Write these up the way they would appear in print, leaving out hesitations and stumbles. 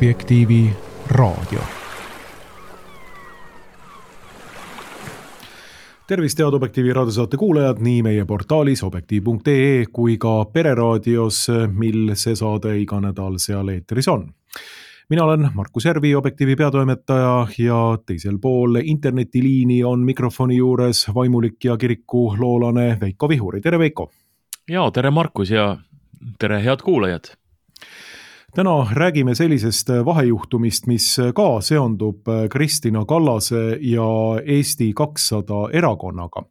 Objektiivi raadio. Tervist, head Objektiivi raadiosaate kuulajad nii meie portaalis objektiiv.ee kui ka pereraadios, mil see saade iga nädal seal eetris on. Mina olen Markus Järvi, Objektiivi peatoimetaja ja teisel pool internetiliini on mikrofoni juures vaimulik ja kiriku loolane Veiko Vihuri. Tere Veiko! Ja, tere Markus ja tere head kuulajad! Täna räägime sellisest vahejuhtumist, mis ka seondub Kristina Kallase ja Eesti 200 erakonnaga.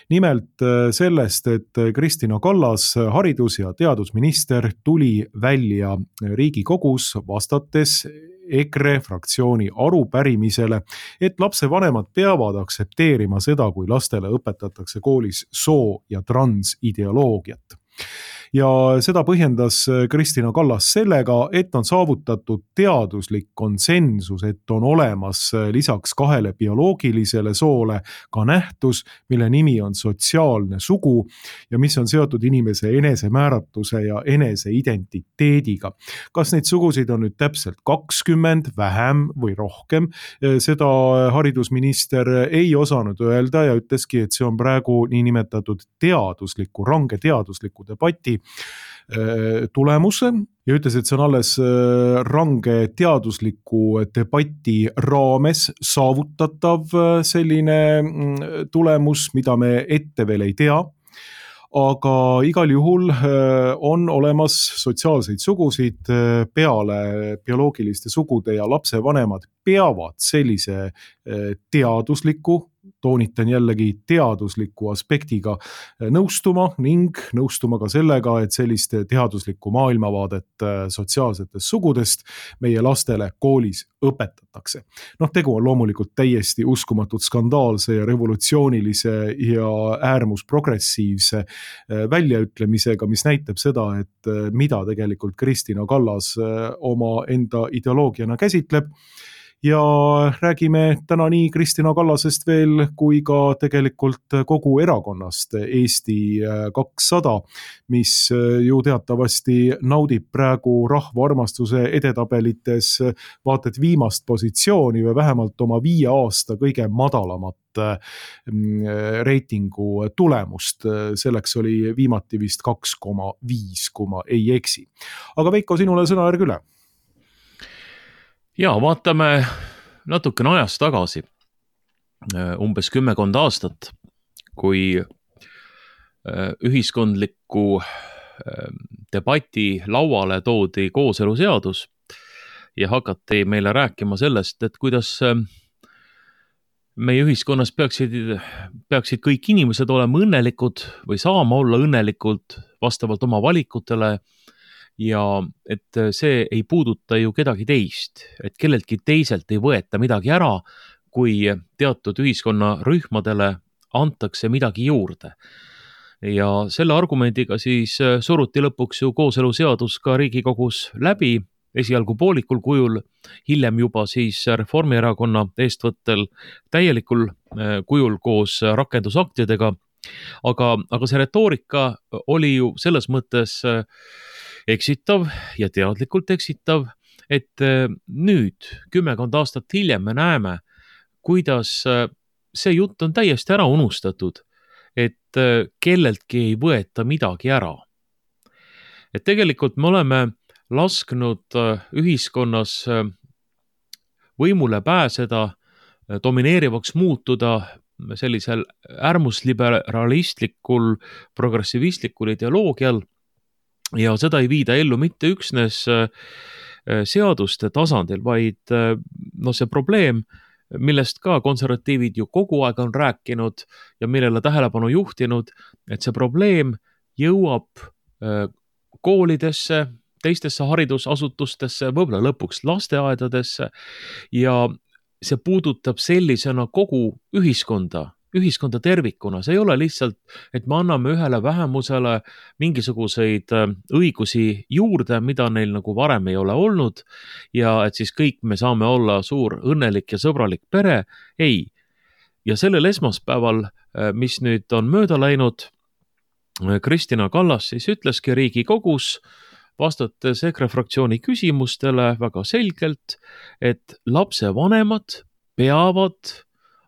Nimelt sellest, et Kristina Kallas, haridus- ja teadusminister, tuli välja Riigikogus vastates EKRE fraktsiooni arupärimisele, et lapsevanemad peavad aksepteerima seda, kui lastele õpetatakse koolis soo- ja transideoloogiat. Ja seda põhjendas Kristina Kallas sellega, et on saavutatud teaduslik konsensus, et on olemas lisaks 2 bioloogilisele soole ka nähtus, mille nimi on sotsiaalne sugu ja mis on seotud inimese enesemääratuse ja eneseidentiteediga. Kas neid sugusid on nüüd täpselt 20, vähem või rohkem? Seda haridusminister ei osanud öelda ja ütleski, et see on praegu niinimetatud teadusliku, range teadusliku debati tulemus ja ütles, et see on alles range teadusliku debati raames saavutatav selline tulemus, mida me ette veel ei tea. Aga igal juhul on olemas sotsiaalseid sugusid peale bioloogiliste sugude ja lapsevanemad peavad sellise teadusliku, toonitan jällegi teadusliku aspektiga nõustuma ning nõustuma ka sellega, et sellist teaduslikku maailmavaadet sotsiaalsetest sugudest meie lastele koolis õpetatakse. Tegu on loomulikult täiesti uskumatut skandaalse ja revolutsioonilise ja äärmusprogressiivse väljaütlemisega, mis näitab seda, et mida tegelikult Kristina Kallas oma enda ideoloogiana käsitleb. Ja räägime täna nii Kristina Kallasest veel kui ka tegelikult kogu erakonnast Eesti 200, mis ju teatavasti naudib praegu rahva armastuse edetabelites vaata et viimast positsiooni või vähemalt oma 5 aasta kõige madalamat reitingu tulemust. Selleks oli viimati vist 2,5, kui ma ei eksi. Aga Veiko, sinule sõnajärg üle. Ja, vaatame natukene ajas tagasi, umbes 10 aastat, kui ühiskondliku debati lauale toodi kooseluseadus ja hakati meile rääkima sellest, et kuidas meie ühiskonnas peaksid kõik inimesed olema õnnelikud või saama olla õnnelikud vastavalt oma valikutele ja et see ei puuduta ju kedagi teist, et kelleltki teiselt ei võeta midagi ära, kui teatud ühiskonnarühmadele antakse midagi juurde. Ja selle argumendiga siis suruti lõpuks ju kooseluseadus ka Riigikogus läbi, esialgu poolikul kujul, hiljem juba siis Reformierakonna eestvõttel täielikul kujul koos rakendusaktidega. Aga see retoorika oli ju selles mõttes eksitav ja teadlikult eksitav, et nüüd 10 aastat hiljem me näeme, kuidas see jutt on täiesti ära unustatud, et kelleltki ei võeta midagi ära. Et tegelikult me oleme lasknud ühiskonnas võimule pääseda, domineerivaks muutuda sellisel äärmusliberalistlikul, progressivistlikul ideoloogial, ja seda ei viida ellu mitte üksnes seaduste tasandil, vaid see probleem, millest ka konservatiivid ju kogu aeg on rääkinud ja millele tähelepanu juhtinud, et see probleem jõuab koolidesse, teistesse haridusasutustesse, võib-olla lõpuks lasteaedadesse ja see puudutab sellisena kogu ühiskonda tervikuna. See ei ole lihtsalt, et me anname ühele vähemusele mingisuguseid õigusi juurde, mida neil nagu varem ei ole olnud ja et siis kõik me saame olla suur õnnelik ja sõbralik pere. Ei. Ja sellel esmaspäeval, mis nüüd on mööda läinud, Kristina Kallas siis ütleski Riigikogus vastates EKRE fraktsiooni küsimustele väga selgelt, et lapsevanemad peavad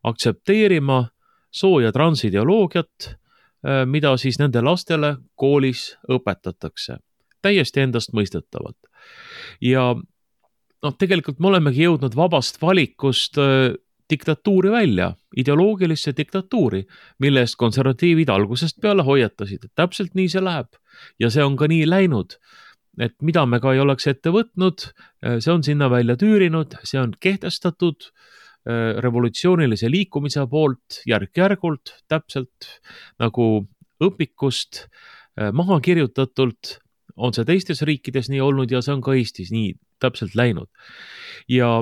aktsepteerima soo- ja transideoloogiat, mida siis nende lastele koolis õpetatakse. Täiesti endast mõistetavalt. Ja tegelikult me olemegi jõudnud vabast valikust diktatuuri välja, ideoloogilisse diktatuuri, mille eest konservatiivid algusest peale hoiatasid, et täpselt nii see läheb. Ja see on ka nii läinud, et mida me ka ei oleks ette võtnud, see on sinna välja tüürinud, see on kehtestatud revolutsioonilise liikumise poolt järk-järgult, täpselt nagu õpikust maha kirjutatult, on see teistes riikides nii olnud ja see on ka Eestis nii täpselt läinud. Ja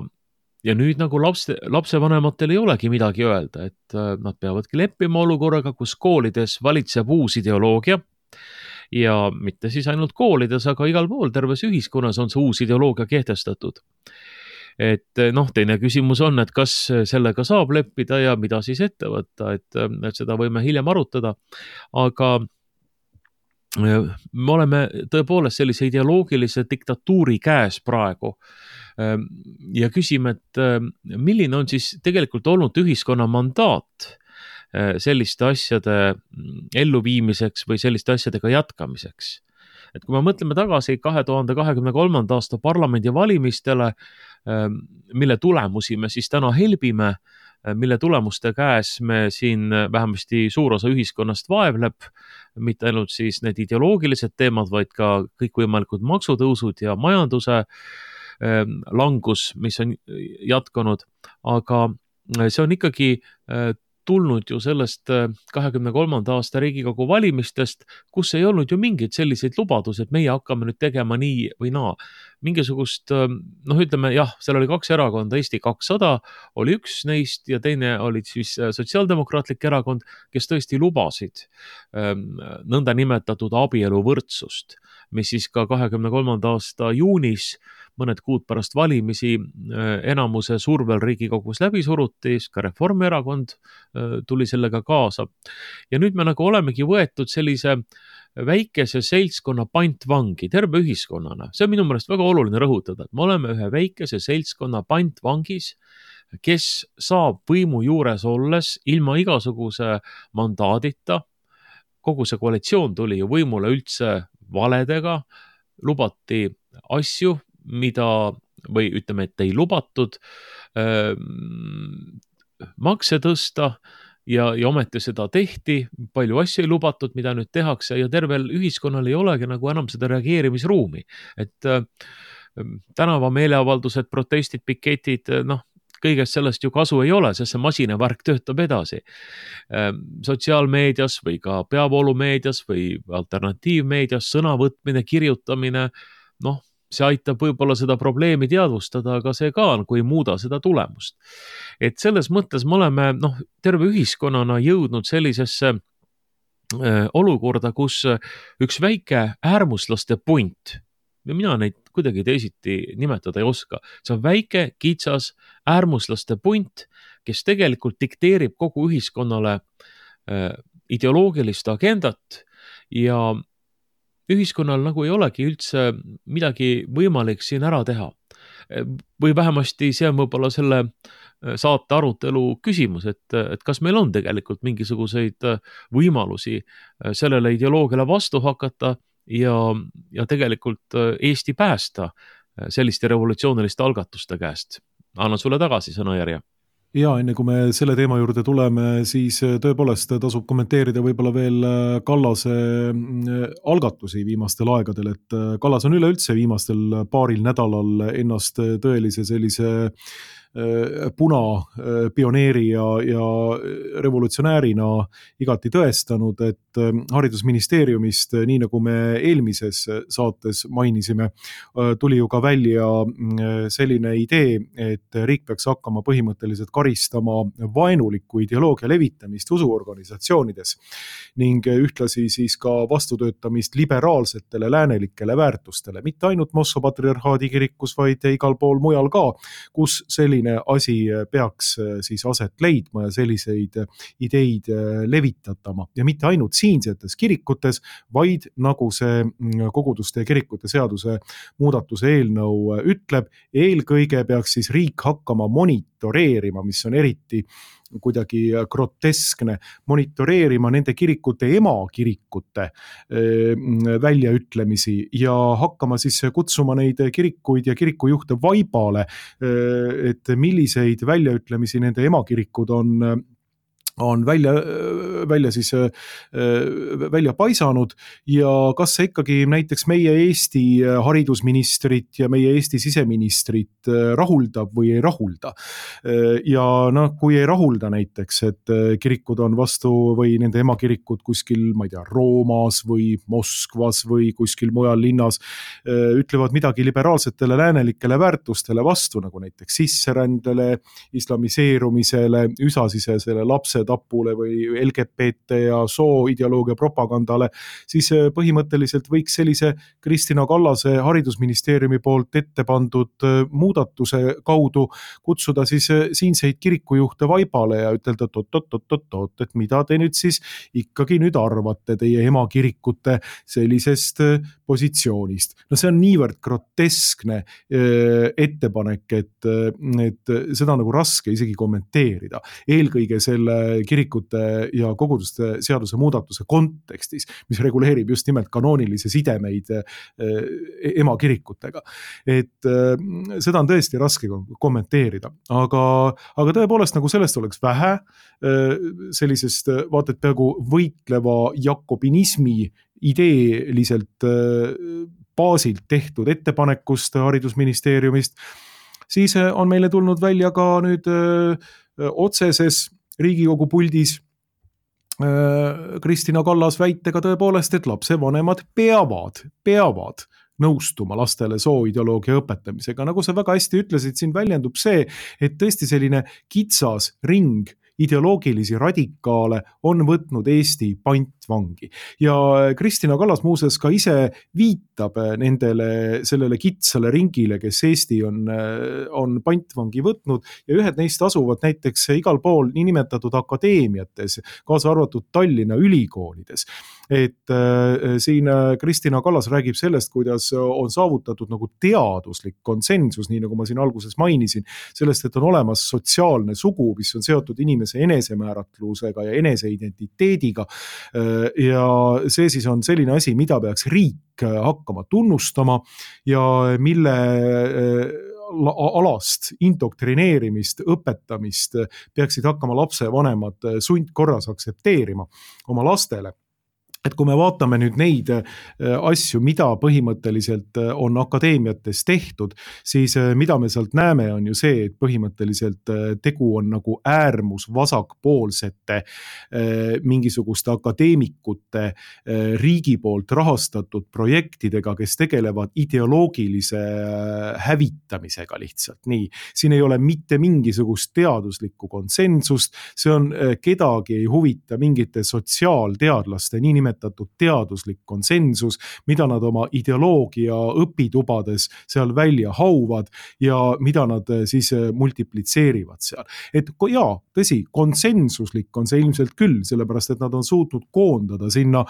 nüüd nagu lapsevanematel ei olegi midagi öelda, et nad peavadki leppima olukorraga, kus koolides valitseb uus ideoloogia ja mitte siis ainult koolides, aga igal pool terves ühiskonnas on see uus ideoloogia kehtestatud. Et teine küsimus on, et kas sellega saab leppida ja mida siis ette võtta, et seda võime hiljem arutada, aga me oleme tõepoolest sellise ideoloogilise diktatuuri käes praegu ja küsime, et milline on siis tegelikult olnud ühiskonna mandaat selliste asjade elluviimiseks või selliste asjadega jätkamiseks. Et kui me mõtleme tagasi 2023. aasta parlamendi valimistele, mille tulemusi me siis täna helbime, mille tulemuste käes me siin vähemasti suur osa ühiskonnast vaevleb, mitte ainult siis need ideoloogilised teemad, vaid ka kõikvõimalikud maksutõusud ja majanduse langus, mis on jätkunud, aga see on ikkagi tulnud ju sellest 23. aasta Riigikogu valimistest, kus ei olnud ju mingeid selliseid lubadusi, et meie hakkame nüüd tegema nii või naa. Mingisugust, ütleme jah, seal oli 2 erakonda, Eesti 200 oli üks neist ja teine oli siis Sotsiaaldemokraatlik erakond, kes tõesti lubasid nõnda nimetatud abieluvõrdsust, mis siis ka 23. aasta juunis mõned kuud pärast valimisi enamuse survel Riigikogus läbi suruti, ka Reformierakond tuli sellega kaasa. Ja nüüd me nagu olemegi võetud sellise väikese seltskonna pantvangi terve ühiskonnana. See on minu meelest väga oluline rõhutada, et me oleme ühe väikese seltskonna pantvangis, kes saab võimu juures olles ilma igasuguse mandaadita. Kogu see koalitsioon tuli ju võimule üldse valedega, lubati asju, või ütleme, et ei lubatud makse tõsta ja ometi seda tehti, palju asju ei lubatud, mida nüüd tehakse ja tervel ühiskonnal ei olegi nagu enam seda reageerimisruumi. Et tänavameeleavaldused, protestid, piketid, kõigest sellest ju kasu ei ole, sest see masinavärk töötab edasi. Sotsiaalmeedias või ka peavoolumeedias või alternatiivmeedias sõnavõtmine, kirjutamine, see aitab võib-olla seda probleemi teadvustada, aga see ka kui ei muuda seda tulemust. Et selles mõttes me oleme terve ühiskonnana jõudnud sellisesse olukorda, kus üks väike äärmuslaste punt, ja mina neid kuidagi teisiti nimetada ei oska, see on väike, kitsas äärmuslaste punt, kes tegelikult dikteerib kogu ühiskonnale ideoloogilist agendat ja ühiskonnal nagu ei olegi üldse midagi võimalik siin ära teha. Või vähemasti see on võib-olla selle saate arutelu küsimus, et kas meil on tegelikult mingisuguseid võimalusi sellele ideoloogiale vastu hakata ja tegelikult Eesti päästa selliste revolutsiooniliste algatuste käest. Annan sulle tagasi sõnajärje. Ja enne kui me selle teema juurde tuleme, siis tõepoolest tasub kommenteerida võib-olla veel Kallase algatusi viimastel aegadel, et Kallas on üleüldse viimastel paaril nädalal ennast tõelise sellise punapioneeri ja revolutsionäärina igati tõestanud, et haridusministeeriumist, nii nagu me eelmises saates mainisime, tuli ju ka välja selline idee, et riik peaks hakkama põhimõtteliselt karistama vaenuliku ideoloogia levitamist usuorganisatsioonides ning ühtlasi siis ka vastutöötamist liberaalsetele läänelikele väärtustele, mitte ainult Moskva patriarhaadi kirikus, vaid igal pool mujal ka, kus selline selline asi peaks siis aset leidma ja selliseid ideid levitatama ja mitte ainult siinsetes kirikutes, vaid nagu see koguduste ja kirikute seaduse muudatuse eelnõu ütleb, eelkõige peaks siis riik hakkama monitoreerima, mis on eriti kuidagi groteskne, monitoreerima nende kirikute emakirikute väljaütlemisi ja hakkama siis kutsuma neid kirikuid ja kirikujuhte vaibale, et milliseid väljaütlemisi nende emakirikud on välja paisanud ja kas see ikkagi näiteks meie Eesti haridusministrit ja meie Eesti siseministrit rahuldab või ei rahulda. Ja kui ei rahulda näiteks, et kirikud on vastu või nende emakirikud kuskil, ma ei tea, Roomas või Moskvas või kuskil mujal linnas ütlevad midagi liberaalsetele läänelikele väärtustele vastu, nagu näiteks sisserändele, islamiseerumisele, üsasisesele lapsetapule või LGBT ja sooideoloogia propagandale, siis põhimõtteliselt võiks sellise Kristina Kallase haridusministeeriumi poolt ette pandud muudatuse kaudu kutsuda siis siinseid kirikujuhte vaibale ja ütelda, et mida te nüüd siis ikkagi nüüd arvate teie emakirikute sellisest positsioonist. No see on niivõrd groteskne ettepanek, et seda on nagu raske isegi kommenteerida. Eelkõige selle kirikute ja koguduste seaduse muudatuse kontekstis, mis reguleerib just nimelt kanoonilisi sidemeid emakirikutega. Et seda on tõesti raske kommenteerida, aga tõepoolest nagu sellest oleks vähe, sellisest vaated peaaegu võitleva jakobinismi ideeliselt baasilt tehtud ettepanekust haridusministeeriumist, siis on meile tulnud välja ka nüüd otseses Riigikogu puldis Kristina Kallas väitega tõepoolest, et lapsevanemad peavad nõustuma lastele sooideoloogia õpetamisega. Nagu sa väga hästi ütlesid, siin väljendub see, et tõesti selline kitsas ring ideoloogilisi radikaale on võtnud Eesti pantvangi. Ja Kristina Kallas muuseas ka ise viitab sellele kitsale ringile, kes Eesti on pantvangi võtnud ja ühed neist asuvad näiteks igal pool niinimetatud akadeemiates, kaasa arvatud Tallinna ülikoolides. Et siin Kristina Kallas räägib sellest, kuidas on saavutatud nagu teaduslik konsensus, nii nagu ma siin alguses mainisin, sellest, et on olemas sotsiaalne sugu, mis on seotud inimese enesemääratlusega ja eneseidentiteediga ja see siis on selline asi, mida peaks riik hakkama tunnustama ja mille alast indoktrineerimist, õpetamist peaksid hakkama lapsevanemad sundkorras aktsepteerima oma lastele. Et kui me vaatame nüüd neid asju, mida põhimõtteliselt on akadeemiates tehtud, siis mida me sealt näeme on ju see, et põhimõtteliselt tegu on nagu äärmus vasakpoolsete mingisuguste akadeemikute riigi poolt rahastatud projektidega, kes tegelevad ideoloogilise hävitamisega lihtsalt. Nii, siin ei ole mitte mingisugust teaduslikku konsensust, see on kedagi ei huvita mingite sotsiaalteadlaste, niinimetatud teaduslik konsensus, mida nad oma ideoloogia õpitubades seal välja hauvad ja mida nad siis multiplitseerivad seal. Et jaa, tõsi, konsensuslik on see ilmselt küll, sellepärast et nad on suutnud koondada sinna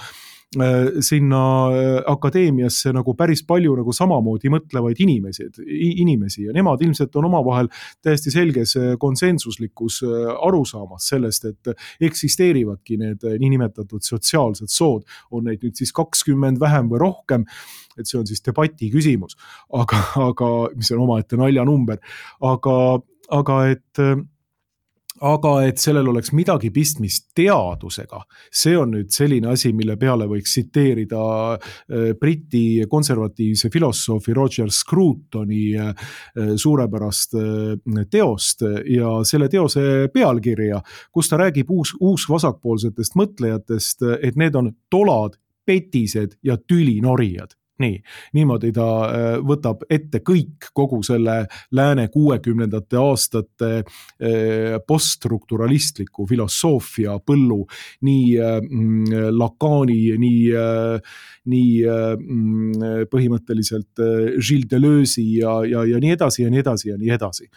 akadeemiasse nagu päris palju nagu samamoodi mõtlevaid inimesi ja nemad ilmselt on omavahel täiesti selges konsensuslikus arusaamas sellest, et eksisteerivadki need niinimetatud sotsiaalsed sood, on neid nüüd siis 20 vähem või rohkem, et see on siis debati küsimus, aga mis on omaette naljanumber, aga et sellel oleks midagi pistmist teadusega, see on nüüd selline asi, mille peale võiks tsiteerida Briti konservatiivse filosoofi Roger Scrutoni suurepärast teost ja selle teose pealkirja, kus ta räägib uusvasakpoolsetest mõtlejatest, et need on tolad, petised ja tülinorijad. nii, niimoodi ta võtab ette kogu selle lääne 60ndate aastate poststrukturalistliku filosoofia põllu, nii Lacani, nii põhimõtteliselt Gilles Deleuze'i ja nii edasi ja nii edasi ja nii edasi.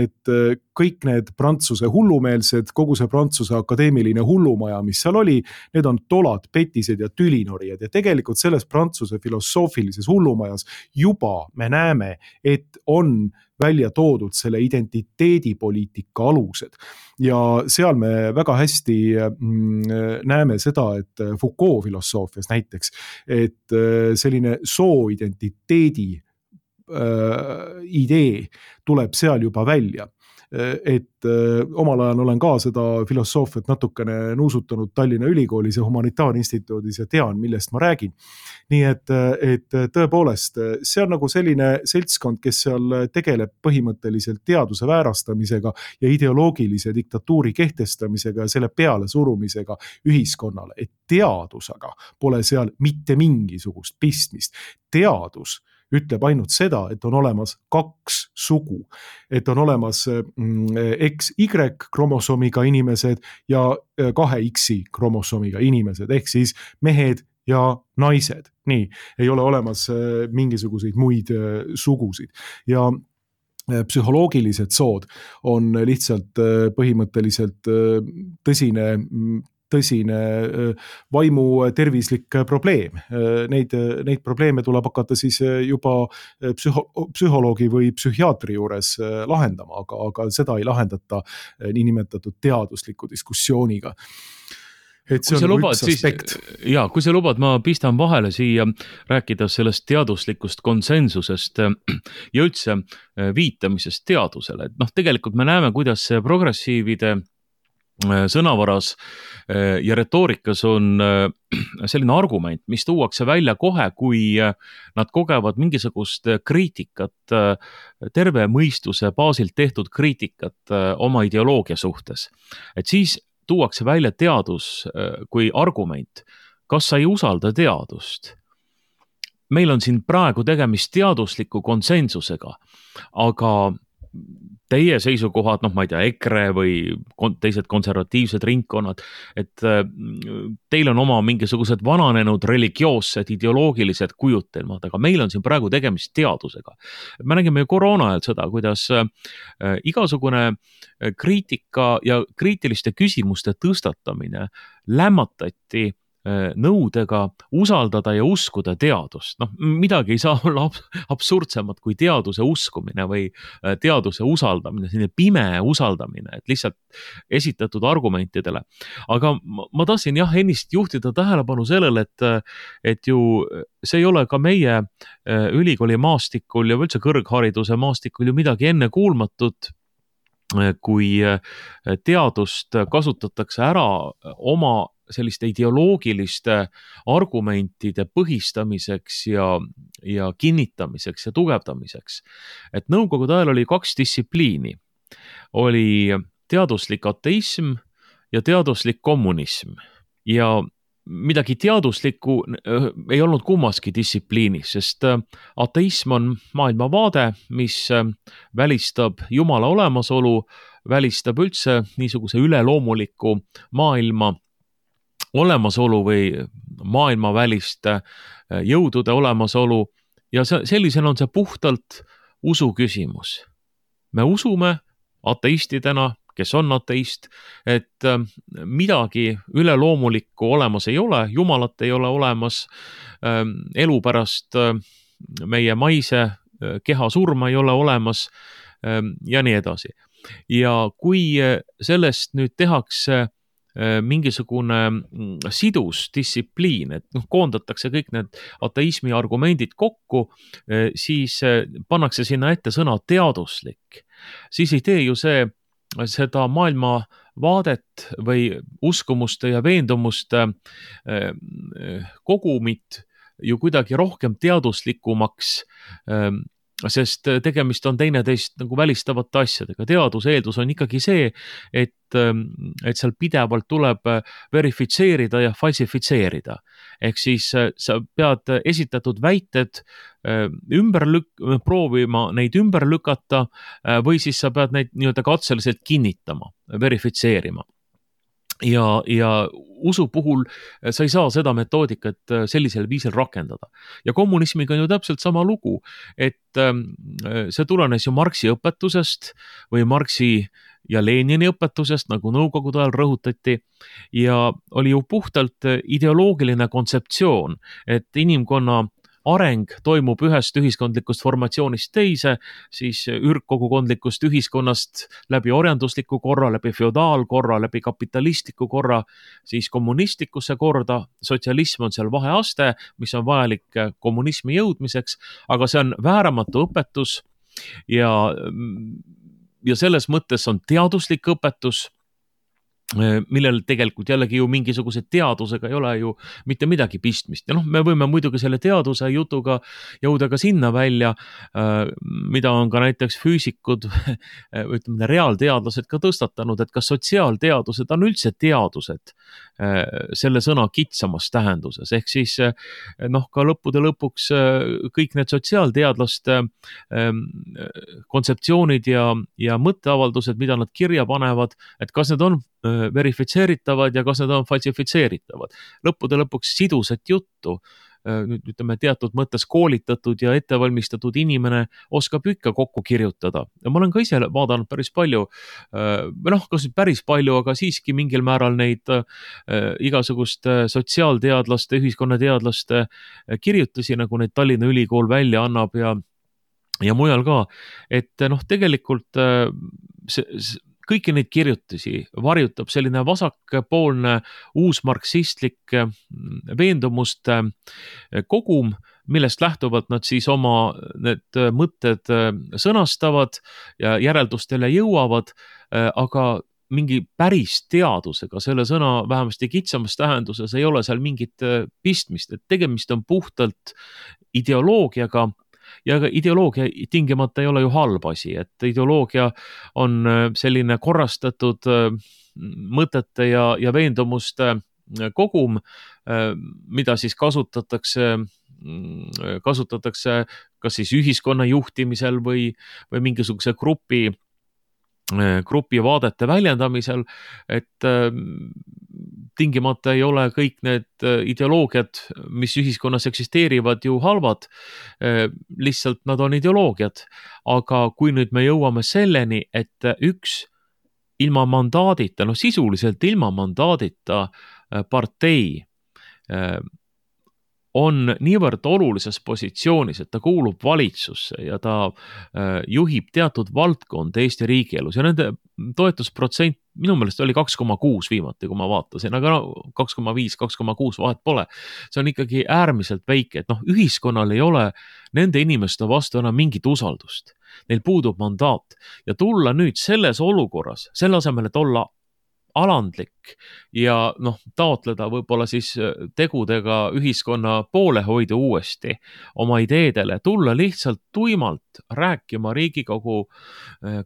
Et kõik need Prantsuse hullumeelsed, kogu see Prantsuse akadeemiline hullumaja, mis seal oli, need on tolad, petised ja tülinorijad ja tegelikult selles Prantsuse filosoofilises hullumajas juba me näeme, et on välja toodud selle identiteedipoliitika alused. Ja seal me väga hästi näeme seda, et Foucault filosoofias näiteks, et selline sooidentiteedi idee tuleb seal juba välja. Et omal ajal olen ka seda filosoofiat natukene nuusutanud Tallinna Ülikoolis ja Humanitaarinstituudis ja tean, millest ma räägin. Nii et tõepoolest, see on nagu selline seltskond, kes seal tegeleb põhimõtteliselt teaduse väärastamisega ja ideoloogilise diktatuuri kehtestamisega ja selle peale surumisega ühiskonnale. Et teadusega pole seal mitte mingisugust pistmist. Teadus ütleb ainult seda, et on olemas 2 sugu, et on olemas XY kromosoomiga inimesed ja 2X kromosoomiga inimesed, ehk siis mehed ja naised. Nii, ei ole olemas mingisuguseid muid sugusid. Ja psühholoogilised sood on lihtsalt põhimõtteliselt tõsine vaimu tervislik probleem. Neid probleeme tuleb hakata siis juba psühholoogi või psühhiaatri juures lahendama, aga seda ei lahendata niinimetatud teadusliku diskussiooniga. Et see on üks aspekt. Kui sa lubad, ma pistan vahele siia rääkida sellest teaduslikust konsensusest ja üldse viitamisest teadusele. Et tegelikult me näeme, kuidas see progressiivide sõnavaras ja retoorikas on selline argument, mis tuuakse välja kohe, kui nad kogevad mingisugust kriitikat, terve mõistuse baasilt tehtud kriitikat oma ideoloogia suhtes. Et siis tuuakse välja teadus kui argument. Kas sa ei usalda teadust? Meil on siin praegu tegemist teadusliku konsensusega, aga teie seisukohad, ma ei tea, EKRE või teised konservatiivsed ringkonnad, et teil on oma mingisugused vananenud religioossed ideoloogilised kujutelmad, aga meil on siin praegu tegemist teadusega. Me nägime ju koroona ajal seda, kuidas igasugune kriitika ja kriitiliste küsimuste tõstatamine lämmatati nõudega usaldada ja uskuda teadust. Midagi ei saa olla absurdsemat kui teaduse uskumine või teaduse usaldamine, selline pime usaldamine, et lihtsalt esitatud argumentidele. Aga ma tahtsin ennist juhtida tähelepanu sellele, et ju see ei ole ka meie ülikooli maastikul ja üldse kõrghariduse maastikul ju midagi ennekuulmatut, kui teadust kasutatakse ära oma selliste ideoloogiliste argumentide põhistamiseks ja kinnitamiseks ja tugevdamiseks. Et nõukogude ajal oli 2 distsipliini. Oli teaduslik ateism ja teaduslik kommunism. Ja midagi teaduslikku ei olnud kummaski distsipliinis, sest ateism on maailmavaade, mis välistab Jumala olemasolu, välistab üldse niisuguse üleloomuliku maailma olemasolu või maailmaväliste jõudude olemasolu ja sellisena on see puhtalt usu küsimus. Me usume ateistidena, kes on ateist, et midagi üleloomulikku olemas ei ole, Jumalat ei ole olemas, elu pärast meie maise keha surma ei ole olemas ja nii edasi. Ja kui sellest nüüd tehakse mingisugune sidus distsipliin, et koondatakse kõik need ateismi argumendid kokku, siis pannakse sinna ette sõna teaduslik. Siis ei tee ju seda maailmavaadet või uskumuste ja veendumuste kogumit ju kuidagi rohkem teaduslikumaks sest tegemist on teineteist nagu välistavate asjadega. Teaduse eeldus on ikkagi see, et seal pidevalt tuleb verifitseerida ja falsifitseerida. Ehk siis sa pead esitatud väited proovima neid ümber lükata või siis sa pead neid nii-öelda katseliselt kinnitama, verifitseerima. Ja usu puhul sa ei saa seda metoodikat sellisel viisil rakendada. Ja kommunismiga on ju täpselt sama lugu, et see tulenes ju Marxi õpetusest või Marxi ja Lenini õpetusest, nagu Nõukogude ajal rõhutati, ja oli ju puhtalt ideoloogiline kontseptsioon, et inimkonna areng toimub ühest ühiskondlikust formatsioonist teise, siis ürgkogukondlikust ühiskonnast läbi orjandusliku korra, läbi feodaalkorra, läbi kapitalistliku korra, siis kommunistlikusse korda. Sotsialism on seal vaheaste, mis on vajalik kommunismi jõudmiseks, aga see on vääramatu õpetus ja selles mõttes on teaduslik õpetus, millel tegelikult jällegi ju mingisuguse teadusega ei ole ju mitte midagi pistmist. Ja me võime muidugi selle teaduse jutuga jõuda ka sinna välja, mida on ka näiteks füüsikud, ütleme reaalteadlased ka tõstatanud, et kas sotsiaalteadused on üldse teadused selle sõna kitsamas tähenduses. Ehk siis ka lõppude lõpuks kõik need sotsiaalteadlaste kontseptsioonid ja mõtteavaldused, mida nad kirja panevad, et kas need on verifitseeritavad ja kas need on falsifitseeritavad. Lõppude lõpuks sidusat juttu, nüüd ütleme teatud mõttes koolitatud ja ettevalmistatud inimene oskab ikka kokku kirjutada. Ja ma olen ka ise vaadanud päris palju, kas päris palju, aga siiski mingil määral neid igasugust sotsiaalteadlaste, ühiskonnateadlaste kirjutusi, nagu neid Tallinna Ülikool välja annab ja mujal ka, et tegelikult kõiki neid kirjutusi varjutab selline vasakpoolne uusmarksistlik veendumuste kogum, millest lähtuvalt nad siis oma need mõtted sõnastavad ja järeldustele jõuavad, aga mingi päris teadusega selle sõna vähemasti kitsamas tähenduses ei ole seal mingit pistmist, et tegemist on puhtalt ideoloogiaga. Ja ideoloogia tingimata ei ole ju halb asi, et ideoloogia on selline korrastatud mõtete ja veendumuste kogum, mida siis kasutatakse kas siis ühiskonna juhtimisel või mingisuguse grupi vaadete väljendamisel, et tingimata ei ole kõik need ideoloogiad, mis ühiskonnas eksisteerivad, ju halvad, lihtsalt nad on ideoloogiad. Aga kui nüüd me jõuame selleni, et üks ilma mandaadita, sisuliselt ilma mandaadita partei on niivõrd olulises positsioonis, et ta kuulub valitsusse ja ta juhib teatud valdkond Eesti riigielus ja nende toetusprotsent minu meelest oli 2,6 viimati, kui ma vaatasin, aga 2,5, 2,6 vahet pole. See on ikkagi äärmiselt väike, et ühiskonnal ei ole nende inimeste vastu enam mingit usaldust. Neil puudub mandaat ja tulla nüüd selles olukorras, selle asemel, et olla alandlik ja taotleda võib-olla siis tegudega ühiskonna poolehoidu uuesti oma ideedele, tulla lihtsalt tuimalt rääkima Riigikogu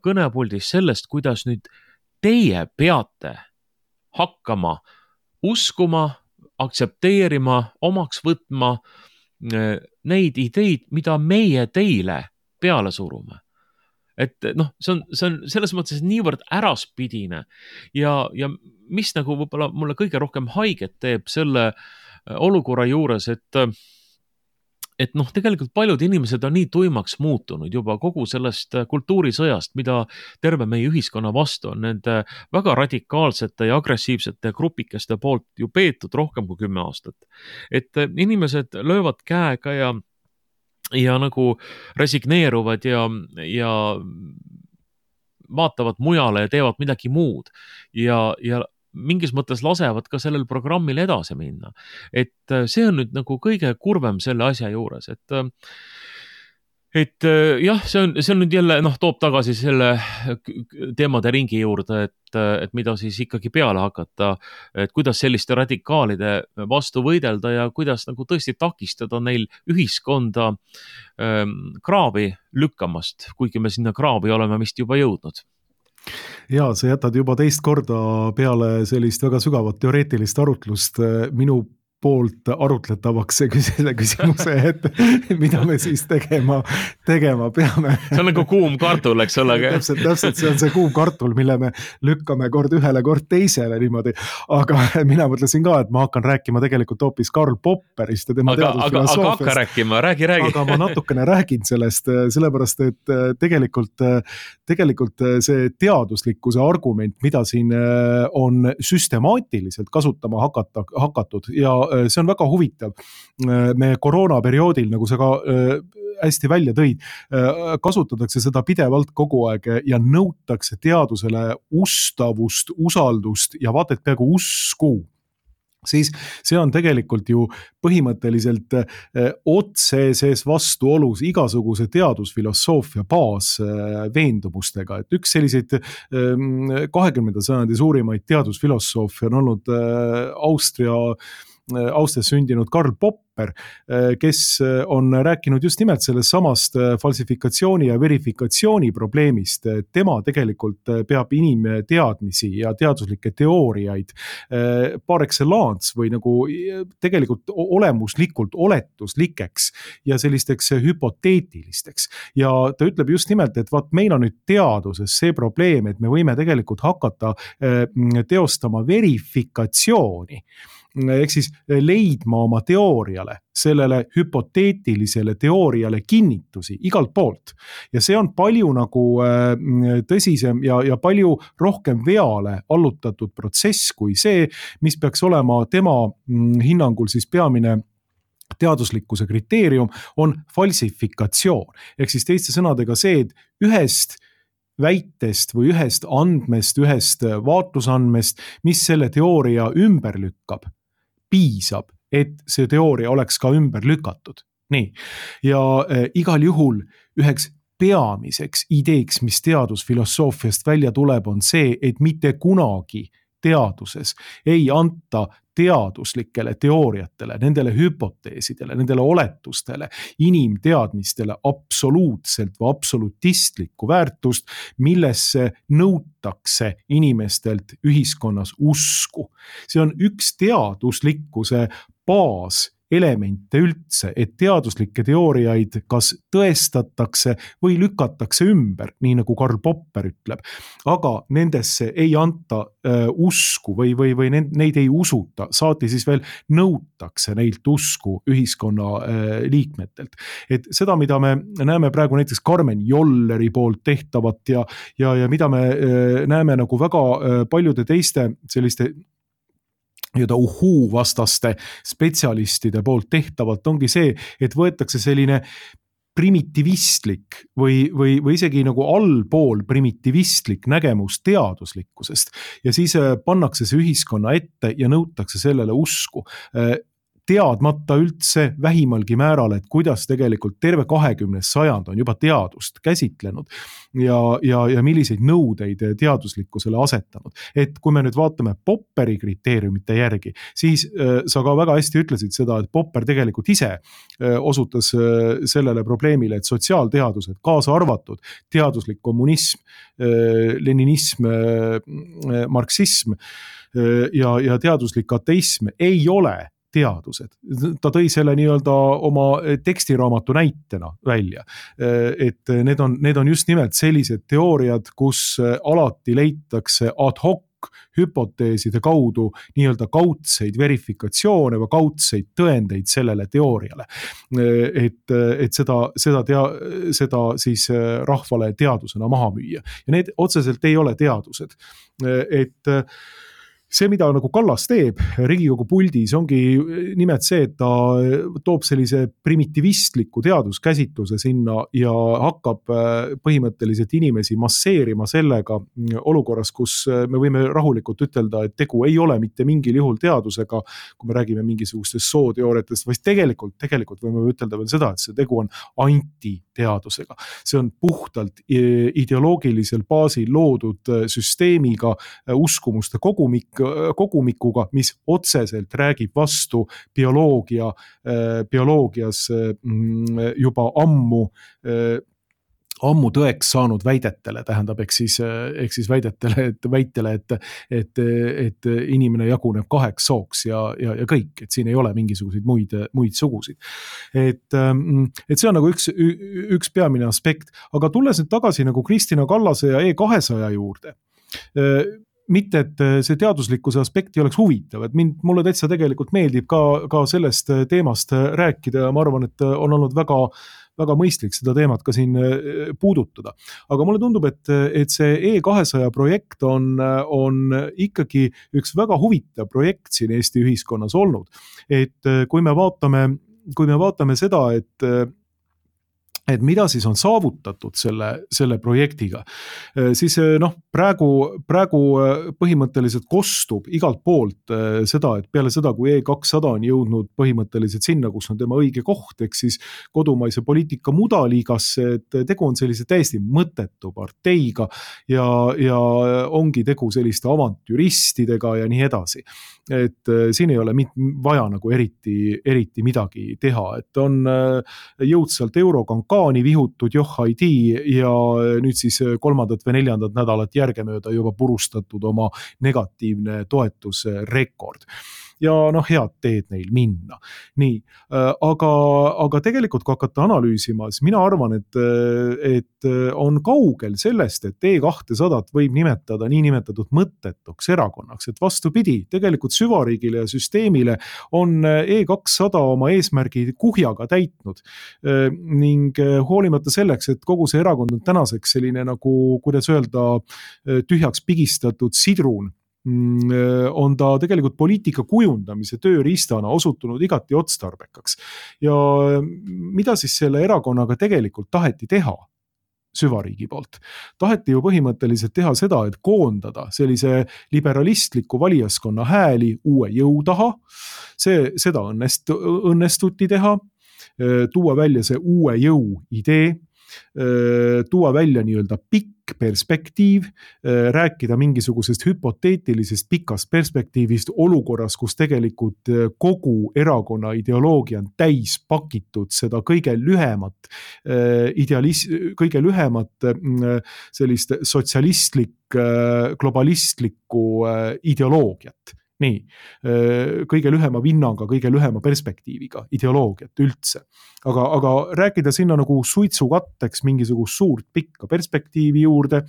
kõnepuldis sellest, kuidas nüüd teie peate hakkama uskuma, aktsepteerima, omaks võtma neid ideid, mida meie teile peale surume. Et see on selles mõttes niivõrd äraspidine ja mis nagu võib-olla mulle kõige rohkem haiget teeb selle olukorra juures, et tegelikult paljud inimesed on nii tuimaks muutunud juba kogu sellest kultuurisõjast, mida terve meie ühiskonna vastu on nende väga radikaalsete ja agressiivsete grupikeste poolt ju peetud rohkem kui 10 aastat. Et inimesed löövad käega ja nagu resigneeruvad ja vaatavad mujale ja teevad midagi muud ja mingis mõttes lasevad ka sellel programmil edasi minna. Et see on nüüd nagu kõige kurvem selle asja juures, et et jah, see on nüüd jälle, toob tagasi selle teemade ringi juurde, et mida siis ikkagi peale hakata, et kuidas selliste radikaalide vastu võidelda ja kuidas nagu tõesti takistada neil ühiskonda kraavi lükkamast, kuigi me sinna kraavi oleme vist juba jõudnud. Ja sa jätad juba teist korda peale sellist väga sügavat teoreetilist arutlust minu poolt arutletavaks selle küsimuse, et mida me siis tegema peame. See on nagu kuum kartul, eks ole. Täpselt, see on see kuum kartul, mille me lükkame kord ühele, kord teisele niimoodi. Aga mina mõtlesin ka, et ma hakkan rääkima tegelikult hoopis Karl Popperist ja tema teadusfilosoofiast. Aga hakka rääkima, räägi. Aga ma natukene räägin sellest, sellepärast, et tegelikult see teaduslikkuse argument, mida siin on süstemaatiliselt kasutama hakatud ja see on väga huvitav. Me koroonaperioodil, nagu sa ka hästi välja tõid, kasutatakse seda pidevalt kogu aeg ja nõutakse teadusele ustavust, usaldust ja vaata, et peaaegu usku. Siis see on tegelikult ju põhimõtteliselt otseses vastuolus igasuguse teadusfilosoofia baasveendumustega. Et üks selliseid 20. sajandi suurimaid teadusfilosoofi on olnud Austrias sündinud Karl Popper, kes on rääkinud just nimelt sellest samast falsifikatsiooni ja verifikatsiooni probleemist. Tema tegelikult peab inimteadmisi ja teaduslikke teooriaid par excellence või nagu tegelikult olemuslikult oletuslikeks ja sellisteks hüpoteetilisteks. Ja ta ütleb just nimelt, et vaat meil on nüüd teaduses see probleem, et me võime tegelikult hakata teostama verifikatsiooni. Ehk siis leidma oma teooriale, sellele hüpoteetilisele teooriale kinnitusi igalt poolt. Ja see on palju nagu tõsisem ja palju rohkem veale allutatud protsess kui see, mis peaks olema tema hinnangul siis peamine teaduslikkuse kriteerium on falsifikatsioon. Ehk siis teiste sõnadega see, et ühest väitest või ühest andmest, ühest vaatlusandmest, mis selle teooria ümber lükkab, piisab, et see teooria oleks ka ümber lükatud. Nii. Ja igal juhul üheks peamiseks ideeks, mis teadusfilosoofiast välja tuleb, on see, et mitte kunagi teaduses ei anta teaduslikele teooriatele, nendele hüpoteesidele, nendele oletustele, inimteadmistele absoluutselt või absolutistlikku väärtust, millesse nõutakse inimestelt ühiskonnas usku. See on üks teaduslikkuse baaselemente üldse, et teaduslikke teooriaid kas tõestatakse või lükatakse ümber, nii nagu Karl Popper ütleb. Aga nendesse ei anta usku või neid ei usuta, saati siis veel nõutakse neilt usku ühiskonna liikmetelt. Et seda, mida me näeme praegu näiteks Karmen Jolleri poolt tehtavat ja mida me näeme nagu väga paljude teiste selliste vastaste spetsialistide poolt tehtavalt ongi see, et võetakse selline primitivistlik või isegi nagu allpool primitivistlik nägemus teaduslikkusest ja siis pannakse see ühiskonna ette ja nõutakse sellele usku. Teadmata üldse vähimalgi määral, et kuidas tegelikult terve 20. sajand on juba teadust käsitlenud ja milliseid nõudeid teaduslikkusele asetanud. Et kui me nüüd vaatame Popperi kriteeriumite järgi, siis sa ka väga hästi ütlesid seda, et Popper tegelikult ise osutas sellele probleemile, et sotsiaalteadused, kaasa arvatud teaduslik kommunism, leninism, marksism ja teaduslik ateism ei ole teadused. Ta tõi selle nii-öelda oma tekstiraamatu näitena välja. Et need on just nimelt sellised teooriad, kus alati leitakse ad hoc hüpoteeside kaudu nii-öelda kaudseid verifikatsioone või kaudseid tõendeid sellele teooriale. Et seda siis rahvale teadusena maha müüa. Ja need otseselt ei ole teadused. Et see, mida nagu Kallas teeb Riigikogu puldis, ongi nimelt see, et ta toob sellise primitivistliku teaduskäsitluse sinna ja hakkab põhimõtteliselt inimesi masseerima sellega olukorras, kus me võime rahulikult ütelda, et tegu ei ole mitte mingil juhul teadusega, kui me räägime mingisugustest sooteooriatest, vaid tegelikult võime ütelda veel seda, et see tegu on antiteadusega. teadusega. See on puhtalt ideoloogilisel baasil loodud süsteemiga, uskumuste kogumikuga, mis otseselt räägib vastu bioloogias juba ammu tõeks saanud väidetele, tähendab, ehk siis väitele, et inimene jaguneb 2 sooks ja kõik, et siin ei ole mingisuguseid muid sugusid. Et see on nagu üks peamine aspekt, aga tulles nüüd tagasi nagu Kristina Kallase ja E200 juurde, mitte, et see teaduslikkuse aspekt ei oleks huvitav, et mulle täitsa tegelikult meeldib ka sellest teemast rääkida ja ma arvan, et on olnud väga mõistlik seda teemat ka siin puudutada. Aga mulle tundub, et see E200 projekt on ikkagi üks väga huvitav projekt siin Eesti ühiskonnas olnud. Et kui me vaatame seda, et mida siis on saavutatud selle projektiga, siis praegu põhimõtteliselt kostub igalt poolt seda, et peale seda, kui E200 on jõudnud põhimõtteliselt sinna, kus on tema õige koht, ehk siis kodumaise poliitika mudaliigasse, et tegu on sellise täiesti mõttetu parteiga ja ongi tegu selliste avantüristidega ja nii edasi. Et siin ei ole vaja nagu eriti midagi teha, et on jõudsalt eurokankaani vihutud johhaidi ja nüüd siis 3. või 4. nädalat järgemööda juba purustatud oma negatiivne toetusrekord. Ja head teed neil minna. Nii, aga tegelikult kui hakata analüüsima, siis mina arvan, et on kaugel sellest, et E200 võib nimetada niinimetatud mõttetuks erakonnaks, et vastupidi, tegelikult süvariigile ja süsteemile on E200 oma eesmärgi kuhjaga täitnud ning hoolimata selleks, et kogu see erakond on tänaseks selline nagu, kuidas öelda, tühjaks pigistatud sidrun, on ta tegelikult poliitika kujundamise tööriistana osutunud igati otstarbekaks. Ja mida siis selle erakonnaga tegelikult taheti teha süvariigi poolt? Taheti ju põhimõtteliselt teha seda, et koondada sellise liberalistliku valijaskonna hääli uue jõu taha. Seda õnnestuti teha, tuua välja see uue jõu idee, tuua välja nii-öelda pikk perspektiiv, rääkida mingisugusest hüpoteetilisest pikast perspektiivist olukorras, kus tegelikult kogu erakonna ideoloogia on täis pakitud seda kõige lühemat sellist sotsialistlik-globalistlikku ideoloogiat. Nii, kõige lühema vinnaga, kõige lühema perspektiiviga ideoloogiat üldse. Aga rääkida sinna nagu suitsukatteks mingisugust suurt pikka perspektiivi juurde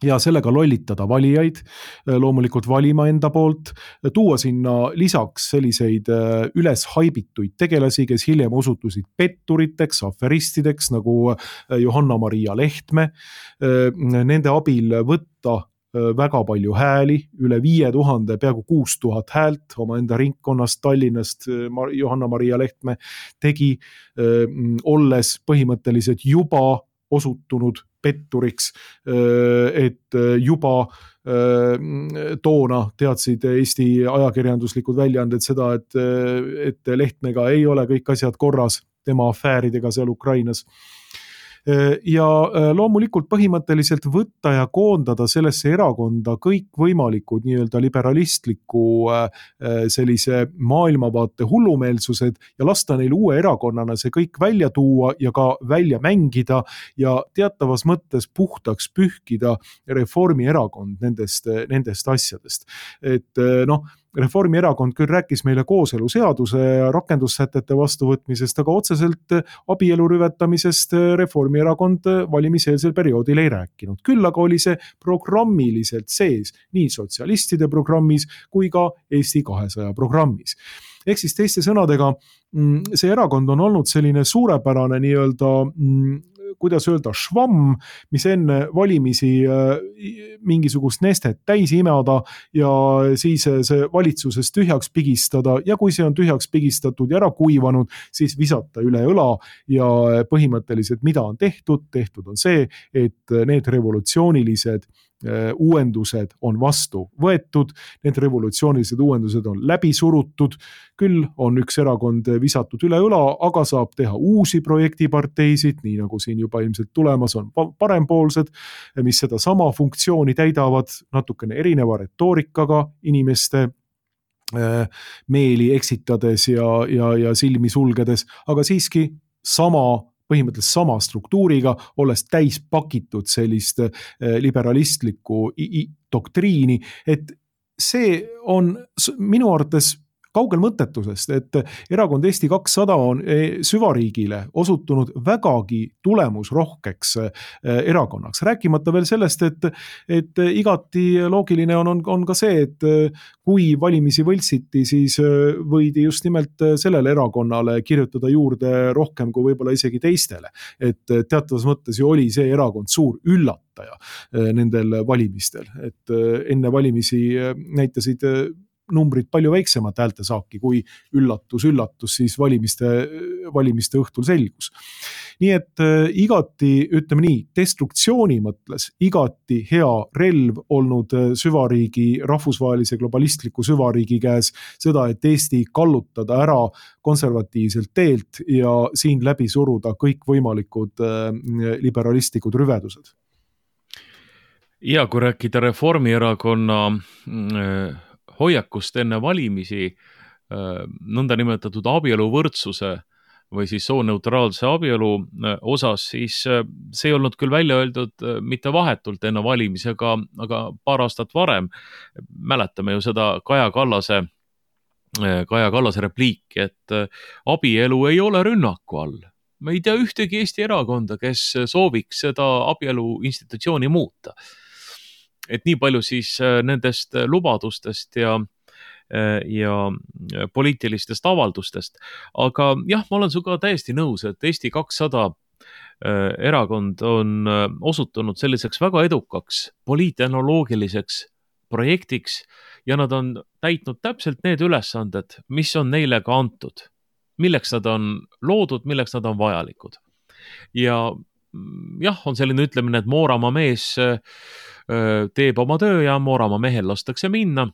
ja sellega lollitada valijaid, loomulikult valima enda poolt, tuua sinna lisaks selliseid üles haibituid tegelasi, kes hiljem osutusid petturiteks, aferistideks nagu Johanna-Maria Lehtme, nende abil võtta väga palju hääli, üle 5000, peaaegu 6000 häält oma enda ringkonnast Tallinnast Johanna-Maria Lehtme tegi, olles põhimõtteliselt juba osutunud petturiks, et juba toona teadsid Eesti ajakirjanduslikud väljaanded seda, et Lehtmega ei ole kõik asjad korras tema afääridega seal Ukrainas. Ja loomulikult põhimõtteliselt võtta ja koondada sellesse erakonda kõik võimalikud nii-öelda liberalistliku sellise maailmavaate hullumeelsused ja lasta neil uue erakonnana see kõik välja tuua ja ka välja mängida ja teatavas mõttes puhtaks pühkida Reformierakond nendest asjadest. Et Reformierakond küll rääkis meile kooseluseaduse rakendussätete vastuvõtmisest, aga otseselt abielu rüvetamisest Reformierakond valimiseelsel perioodil ei rääkinud. Küll aga oli see programmiliselt sees nii sotsialistide programmis kui ka Eesti 200 programmis. Ehk siis teiste sõnadega, see erakond on olnud selline suurepärane nii-öelda kuidas öelda, švamm, mis enne valimisi mingisugust nestet täis imada ja siis see valitsuses tühjaks pigistada ja kui see on tühjaks pigistatud ja ära kuivanud, siis visata üle õla ja põhimõtteliselt mida on tehtud? Tehtud on see, et need revolutsioonilised uuendused on vastu võetud, need revolutsioonilised uuendused on läbi surutud, küll on üks erakond visatud üle õla, aga saab teha uusi projektiparteisid, nii nagu siin juba ilmselt tulemas on parempoolsed, mis seda sama funktsiooni täidavad natukene erineva retoorikaga inimeste meeli eksitades ja silmi sulgedes, aga siiski põhimõtteliselt sama struktuuriga, olles täis pakitud sellist liberalistlikku doktriini, et see on minu arvates kaugel mõttetusest, et erakond Eesti 200 on süvariigile osutunud vägagi tulemusrohkeks erakonnaks. Rääkimata veel sellest, et igati loogiline on ka see, et kui valimisi võltsiti, siis võidi just nimelt sellele erakonnale kirjutada juurde rohkem kui võib-olla isegi teistele. Et teatavas mõttes ju oli see erakond suur üllataja nendel valimistel, et enne valimisi näitasid numbrid palju väiksemat häältesaaki, kui üllatus, siis valimiste õhtul selgus. Nii et igati, ütleme nii, destruktsiooni mõtles igati hea relv olnud süvariigi, rahvusvahelise globalistliku süvariigi käes seda, et Eesti kallutada ära konservatiivselt teelt ja siin läbi suruda kõikvõimalikud liberalistlikud rüvedused. Ja kui rääkida Reformierakonna hoiakust enne valimisi nõndanimetatud abieluvõrdsuse või siis sooneutraalse abielu osas, siis see ei olnud küll välja öeldud mitte vahetult enne valimisi, aga paar aastat varem. Mäletame ju seda Kaja Kallase repliiki, et abielu ei ole rünnaku all. Me ei tea ühtegi Eesti erakonda, kes sooviks seda abielu institutsiooni muuta. Et nii palju siis nendest lubadustest ja poliitilistest avaldustest. Aga jah, ma olen sinuga täiesti nõus, et Eesti 200 erakond on osutunud selliseks väga edukaks poliitehnoloogiliseks projektiks ja nad on täitnud täpselt need ülesanded, mis on neile ka antud. Milleks nad on loodud, milleks nad on vajalikud. Ja jah, on selline ütlemine, et Mooramaa mees teeb oma töö ja Mooramaa mehel lastakse minna.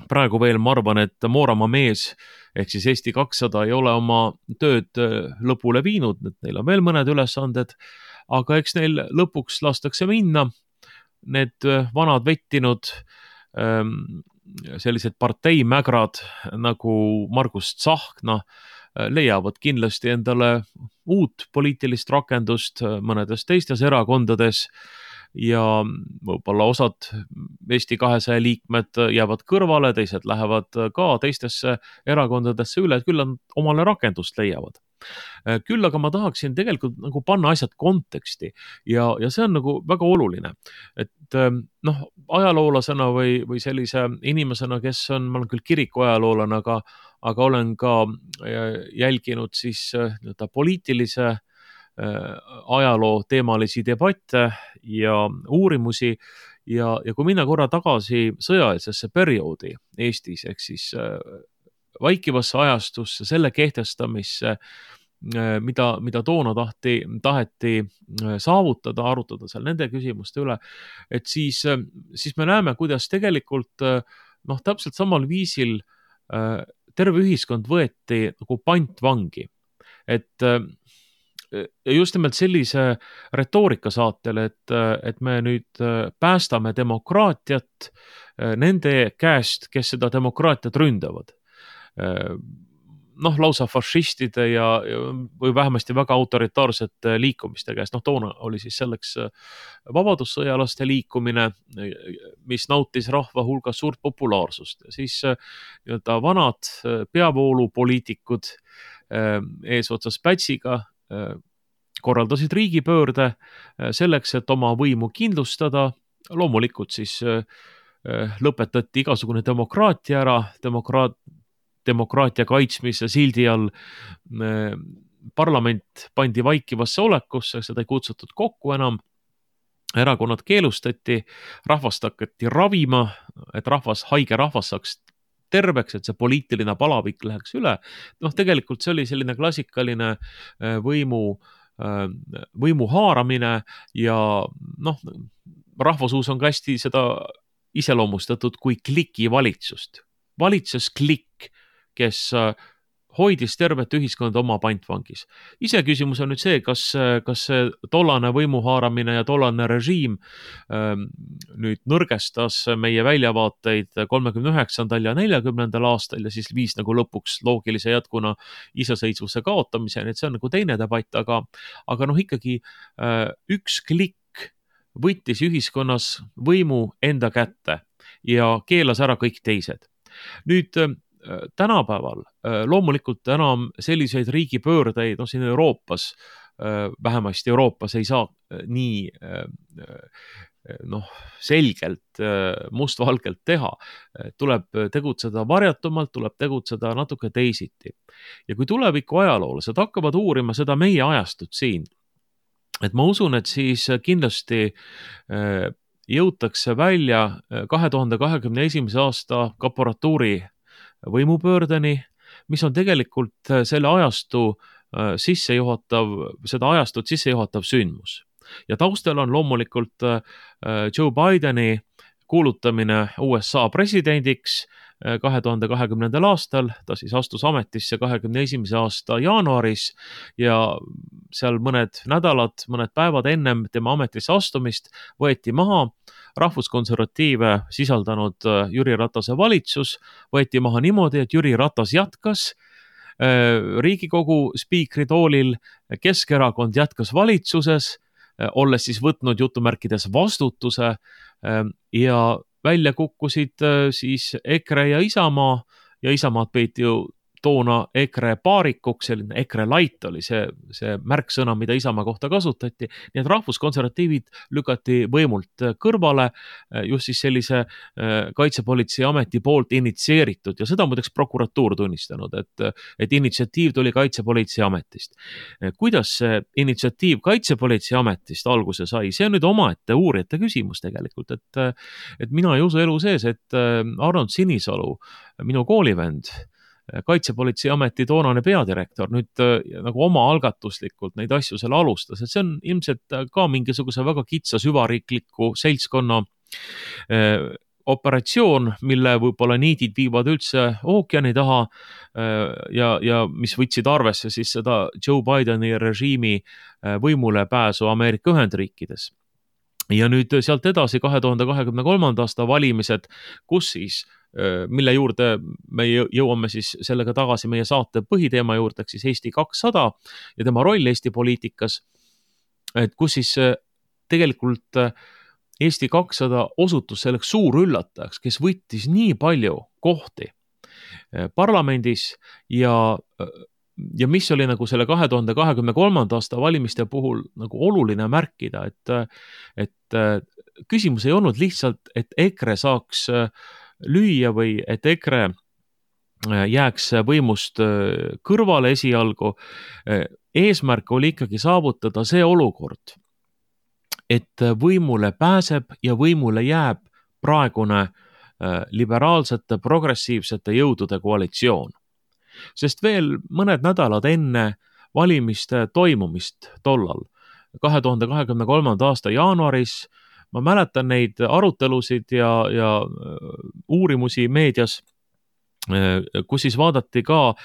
Praegu veel ma arvan, et Mooramaa mees ehk siis Eesti 200 ei ole oma tööd lõpule viinud, neil on veel mõned ülesanded, aga eks neil lõpuks lastakse minna. Need vanad vettinud sellised parteimägrad nagu Margus Tsahkna leiavad kindlasti endale uut poliitilist rakendust mõnedes teistes erakondades ja võib-olla osad Eesti 200 liikmed jäävad kõrvale, teised lähevad ka teistesse erakondadesse üle, et küll nad omale rakendust leiavad. Küll aga ma tahaksin tegelikult nagu panna asjad konteksti ja see on nagu väga oluline, et ajaloolasena või sellise inimesena, kes on, ma olen küll kiriku ajaloolane, aga olen ka jälginud siis poliitilise ajaloo teemalisi debatte ja uurimusi ja kui minna korra tagasi sõjaeelsesse perioodi Eestis, ehk siis vaikivasse ajastusse, selle kehtestamisse, mida toona taheti saavutada, arutada seal nende küsimuste üle, et siis me näeme, kuidas tegelikult täpselt samal viisil terve ühiskond võeti nagu pantvangi, et just nimelt sellise retoorika saatel, et me nüüd päästame demokraatiat nende käest, kes seda demokraatiat ründavad. Lausa fašistide või vähemasti väga autoritaarsete liikumiste käest. Toona oli siis selleks vabadussõjalaste liikumine, mis nautis rahva hulgas suurt populaarsust. Ja siis vanad peavoolupoliitikud eesotsas Pätsiga korraldasid riigipöörde selleks, et oma võimu kindlustada. Loomulikult siis lõpetati igasugune demokraatia ära, demokraatia kaitsmise sildi all parlament pandi vaikivasse olekusse, seda ei kutsutud kokku enam, erakonnad keelustati, rahvast hakati ravima, et haige rahvas saaks terveks, et see poliitiline palavik läheks üle. Tegelikult see oli selline klassikaline võimu haaramine ja rahvasuus on ka hästi seda iseloomustatud kui klikivalitsust. Valitses klikk, kes hoidis tervet ühiskonda oma pantvangis. Iseküsimus on nüüd see, kas see tollane võimuhaaramine ja tollane režiim nüüd nõrgestas meie väljavaateid 39. ja 40. aastal ja siis viis nagu lõpuks loogilise jätkuna iseseisvuse kaotamiseni, et see on nagu teine debatt, aga ikkagi üks klikk võttis ühiskonnas võimu enda kätte ja keelas ära kõik teised. Nüüd tänapäeval loomulikult enam selliseid riigipöördeid, siin Euroopas, vähemasti Euroopas ei saa nii selgelt mustvalgelt teha. Tuleb tegutseda varjatumalt, tuleb tegutseda natuke teisiti. Ja kui tuleviku ajaloolased hakkavad uurima seda meie ajastut siin, et ma usun, et siis kindlasti jõutakse välja 2021. aasta kaporatuuri võimupöördeni, mis on tegelikult selle ajastut sissejuhatav sündmus. Ja taustal on loomulikult Joe Bideni kuulutamine USA presidendiks 2020. aastal, ta siis astus ametisse 2021. aasta jaanuaris ja seal mõned nädalad, mõned päevad ennem tema ametisse astumist võeti maha rahvuskonservatiive sisaldanud Jüri Ratase valitsus, võeti maha niimoodi, et Jüri Ratas jätkas Riigikogu spiikri toolil, Keskerakond jätkas valitsuses, olles siis võtnud jutumärkides vastutuse ja välja kukkusid siis EKRE ja Isamaa ja Isamaad peeti ju toona EKRE paarikuks, selline EKRE light oli see märksõna, mida Isamaa kohta kasutati, nii et rahvuskonservatiivid lükati võimult kõrvale just siis sellise kaitsepolitseiameti poolt initsieeritud ja seda muideks prokuratuur tunnistanud, et initsiatiiv tuli kaitsepolitseiametist. Kuidas see initsiatiiv kaitsepolitseiametist alguse sai, see on nüüd omaette uurijate küsimus tegelikult, et mina ei usu elu sees, et Arnold Sinisalu, minu koolivend, kaitsepolitseiameti toonane peadirektor nüüd nagu oma algatuslikult neid asju seal alustas, et see on ilmselt ka mingisuguse väga kitsa süvariikliku seltskonna operatsioon, mille võib-olla niidid viivad üldse ookeani taha ja mis võtsid arvesse siis seda Joe Bideni režiimi võimule pääsu Ameerika Ühendriikides. Ja nüüd sealt edasi 2023. aasta valimised, kus siis mille juurde me jõuame siis sellega tagasi meie saate põhiteema juurde, siis Eesti 200 ja tema roll Eesti poliitikas, et kus siis tegelikult Eesti 200 osutus selleks suur üllatajaks, kes võttis nii palju kohti parlamendis ja mis oli nagu selle 2023. aasta valimiste puhul nagu oluline märkida, et küsimus ei olnud lihtsalt, et EKRE saaks lüüa või et EKRE jääks võimust kõrvale esialgu. Eesmärk oli ikkagi saavutada see olukord, et võimule pääseb ja võimule jääb praegune liberaalsete, progressiivsete jõudude koalitsioon. Sest veel mõned nädalad enne valimiste toimumist tollal, 2023. aasta jaanuaris, ma mäletan neid arutelusid ja uurimusi meedias, kus siis vaadati ka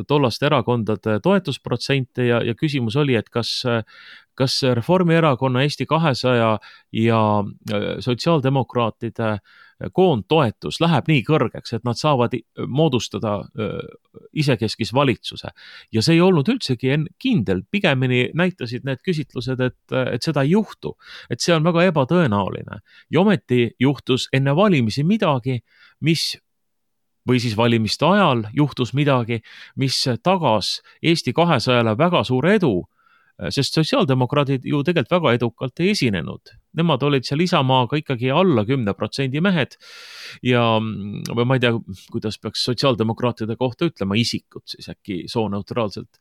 tollaste erakondade toetusprotsente ja küsimus oli, et kas Reformierakonna, Eesti 200 ja sotsiaaldemokraatide koondtoetus läheb nii kõrgeks, et nad saavad moodustada isekeskis valitsuse. Ja see ei olnud üldsegi kindel, pigemini näitasid need küsitlused, et seda ei juhtu, et see on väga ebatõenäoline. Ja ometi juhtus enne valimisi midagi, või siis valimiste ajal juhtus midagi, mis tagas Eesti 200-le väga suure edu, sest sotsiaaldemokraadid ju tegelikult väga edukalt ei esinenud. Nemad olid seal Isamaaga ikkagi alla 10% mehed ja ma ei tea, kuidas peaks sotsiaaldemokraatide kohta ütlema, isikud siis äkki sooneutraalselt.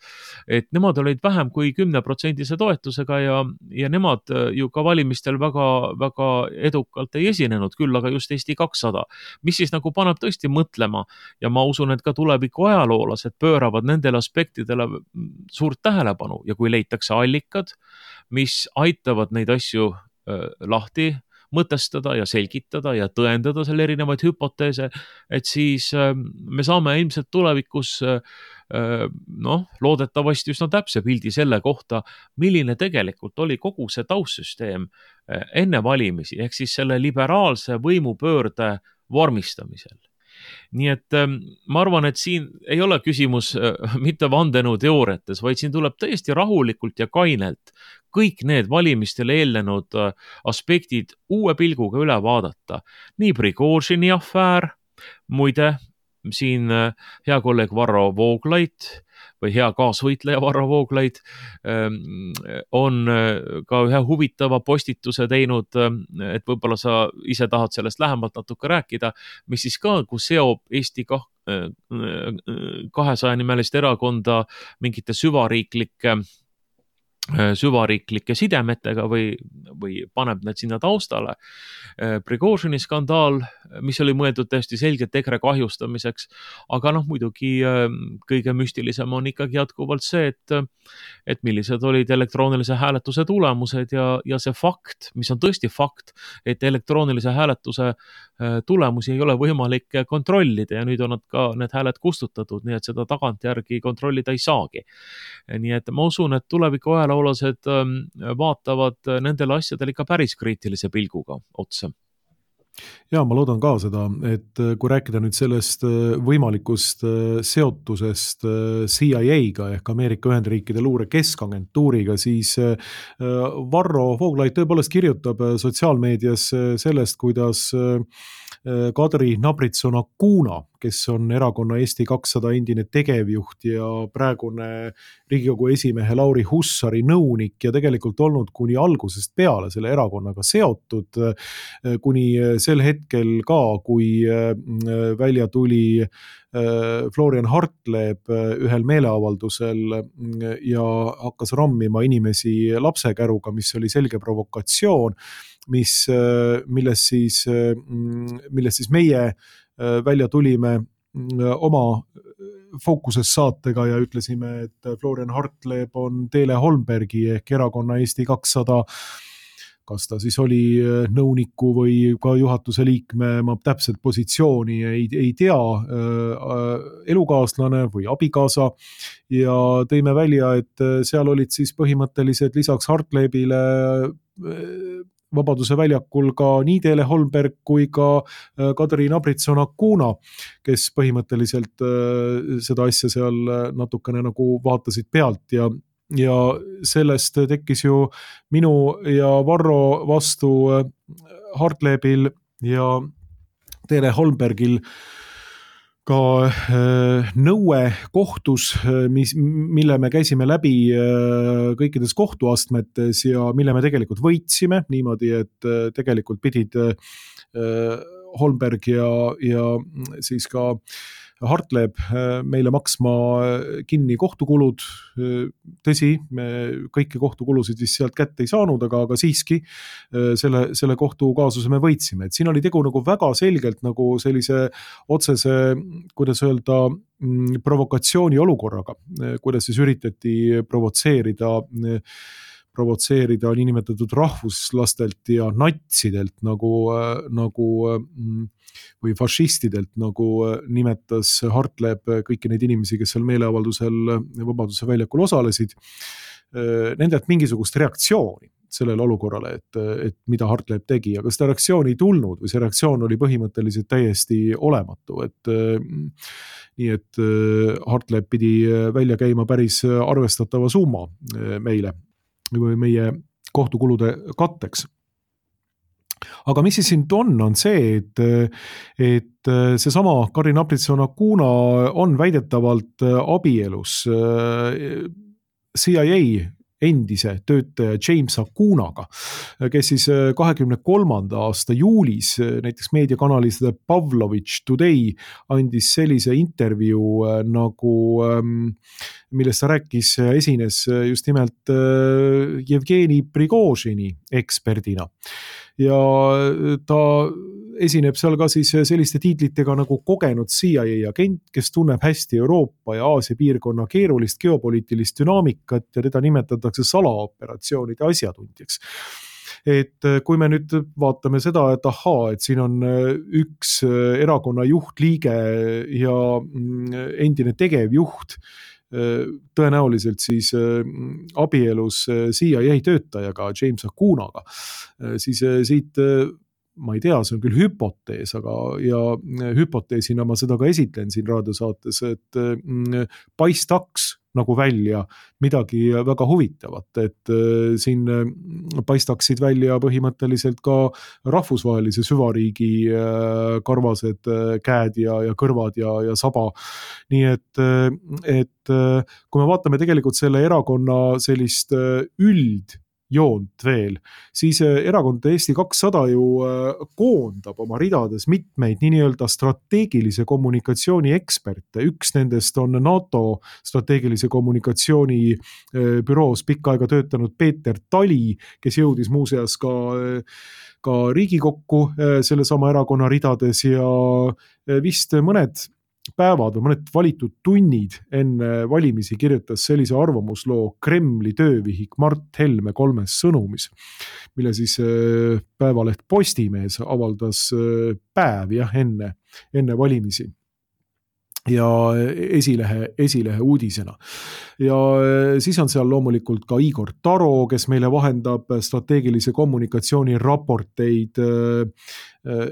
Et nemad olid vähem kui 10% toetusega ja nemad ju ka valimistel väga, väga edukalt ei esinenud, küll aga just Eesti 200, mis siis nagu paneb tõesti mõtlema ja ma usun, et ka tuleviku ajaloolased pööravad nendele aspektidele suurt tähelepanu ja kui leitakse allikad, mis aitavad neid asju lahti mõtestada ja selgitada ja tõendada selle erinevaid hüpoteese, et siis me saame ilmselt tulevikus loodetavasti üsna täpse pildi selle kohta, milline tegelikult oli kogu see taustsüsteem enne valimisi, ehk siis selle liberaalse võimupöörde vormistamisel. Nii et ma arvan, et siin ei ole küsimus mitte vandenõuteooriates, vaid siin tuleb täiesti rahulikult ja kainelt kõik need valimistele eelnenud aspektid uue pilguga üle vaadata. Nii Prigožini afäär, muide, siin hea kolleeg Varro Vooglaid või hea kaasvõitleja Varro Vooglaid on ka ühe huvitava postituse teinud, et võib-olla sa ise tahad sellest lähemalt natuke rääkida, mis siis ka, kus seob Eesti 200 nimelist erakonda mingite süvariiklike sidemetega või paneb need sinna taustale. Prigožini skandaal, mis oli mõeldud täiesti selgelt EKRE kahjustamiseks, aga muidugi kõige müstilisem on ikkagi jätkuvalt see, et millised olid elektroonilise hääletuse tulemused ja see fakt, mis on tõesti fakt, et elektroonilise hääletuse tulemusi ei ole võimalik kontrollida ja nüüd on need hääled kustutatud, nii et seda tagantjärgi kontrollida ei saagi. Nii et ma usun, et tuleviku ajaloolased vaatavad nendele asjadele ikka päris kriitilise pilguga otsa. Ja ma loodan ka seda, et kui rääkida nüüd sellest võimalikust seotusest CIA-ga ehk Ameerika Ühendriikide luure keskagentuuriga, siis Varro Vooglaid tõepoolest kirjutab sotsiaalmeedias sellest, kuidas Kadri Nabritsson-Acuna, kes on erakonna Eesti 200 endine tegevjuht ja praegune Riigikogu esimehe Lauri Hussari nõunik ja tegelikult olnud kuni algusest peale selle erakonnaga seotud, kuni sel hetkel ka, kui välja tuli Florian Hartleb ühel meeleavaldusel ja hakkas rammima inimesi lapsekäruga, mis oli selge provokatsioon, milles siis meie välja tulime oma Fookuses saatega ja ütlesime, et Florian Hartleb on Teele Holmbergi ehk erakonna Eesti 200, kas ta siis oli nõuniku või ka juhatuse liikme, ma täpselt positsiooni ei tea, elukaaslane või abikaasa, ja tõime välja, et seal olid siis põhimõtteliselt lisaks Hartlebile Vabaduse väljakul ka nii Teele Holmberg kui ka Kadri Nabritsson-Acuna, kes põhimõtteliselt seda asja seal natukene nagu vaatasid pealt ja sellest tekkis ju minu ja Varro vastu Hartlebil ja Teele Holmbergil ka nõue kohtus, mille me käisime läbi kõikides kohtuastmetes ja mille me tegelikult võitsime niimoodi, et tegelikult pidid Holmberg ja siis ka Hartleb meile maksma kinni kohtukulud. Tõsi, me kõiki kohtukulusid vist sealt kätte ei saanud, aga siiski selle kohtukaasuse me võitsime. Et siin oli tegu nagu väga selgelt nagu sellise otsese, kuidas öelda, provokatsiooni olukorraga, kuidas siis üritati provotseerida niinimetatud rahvuslastelt ja natsidelt nagu või fašistidelt, nagu nimetas Hartleb kõiki neid inimesi, kes seal meeleavaldusel Vabaduse väljakul osalesid, nendelt mingisugust reaktsiooni sellele olukorrale, et mida Hartleb tegi, aga seda reaktsiooni ei tulnud või see reaktsioon oli põhimõtteliselt täiesti olematu, nii et Hartleb pidi välja käima päris arvestatava summa meile või meie kohtukulude katteks. Aga mis siis siin on see, et seesama Kadri Nabritsson-Acuna on väidetavalt abielus CIA endise töötaja James Acunaga, kes siis 23. aasta juulis näiteks meediakanalis The Pavlovich Today andis sellise intervjuu, millest ta rääkis, esines just nimelt Jevgeni Prigožini eksperdina. Ja ta esineb seal ka siis selliste tiitlitega nagu kogenud CIA agent, kes tunneb hästi Euroopa ja Aasia piirkonna keerulist geopoliitilist dünaamikat ja teda nimetatakse salaoperatsioonide asjatundjaks. et kui me nüüd vaatame seda, et ahaa, et siin on üks erakonna juhtliige ja endine tegevjuht, tõenäoliselt siis abielus CIA töötajaga James Acunaga, siis siit ma ei tea, see on küll hüpotees, aga ja hüpoteesina ma seda ka esitlen siin raadiosaates, et paistaks nagu välja midagi väga huvitavat, et siin paistaksid välja põhimõtteliselt ka rahvusvahelise süvariigi karvased käed ja kõrvad ja saba. Nii et kui me vaatame tegelikult selle erakonna sellist üldjoont veel, siis erakond Eesti 200 ju koondab oma ridades mitmeid nii-öelda strateegilise kommunikatsiooni eksperte. Üks nendest on NATO strateegilise kommunikatsiooni büroos pikka aega töötanud Peeter Tali, kes jõudis muuseas ka Riigikokku sellesama erakonna ridades ja vist mõned päevad või mõned valitud tunnid enne valimisi kirjutas sellise arvamusloo Kremli töövihik Mart Helme 3 sõnumis, mille siis päevaleht Postimees avaldas päev enne valimisi ja esilehe uudisena. Ja siis on seal loomulikult ka Igor Taro, kes meile vahendab strateegilise kommunikatsiooni raporteid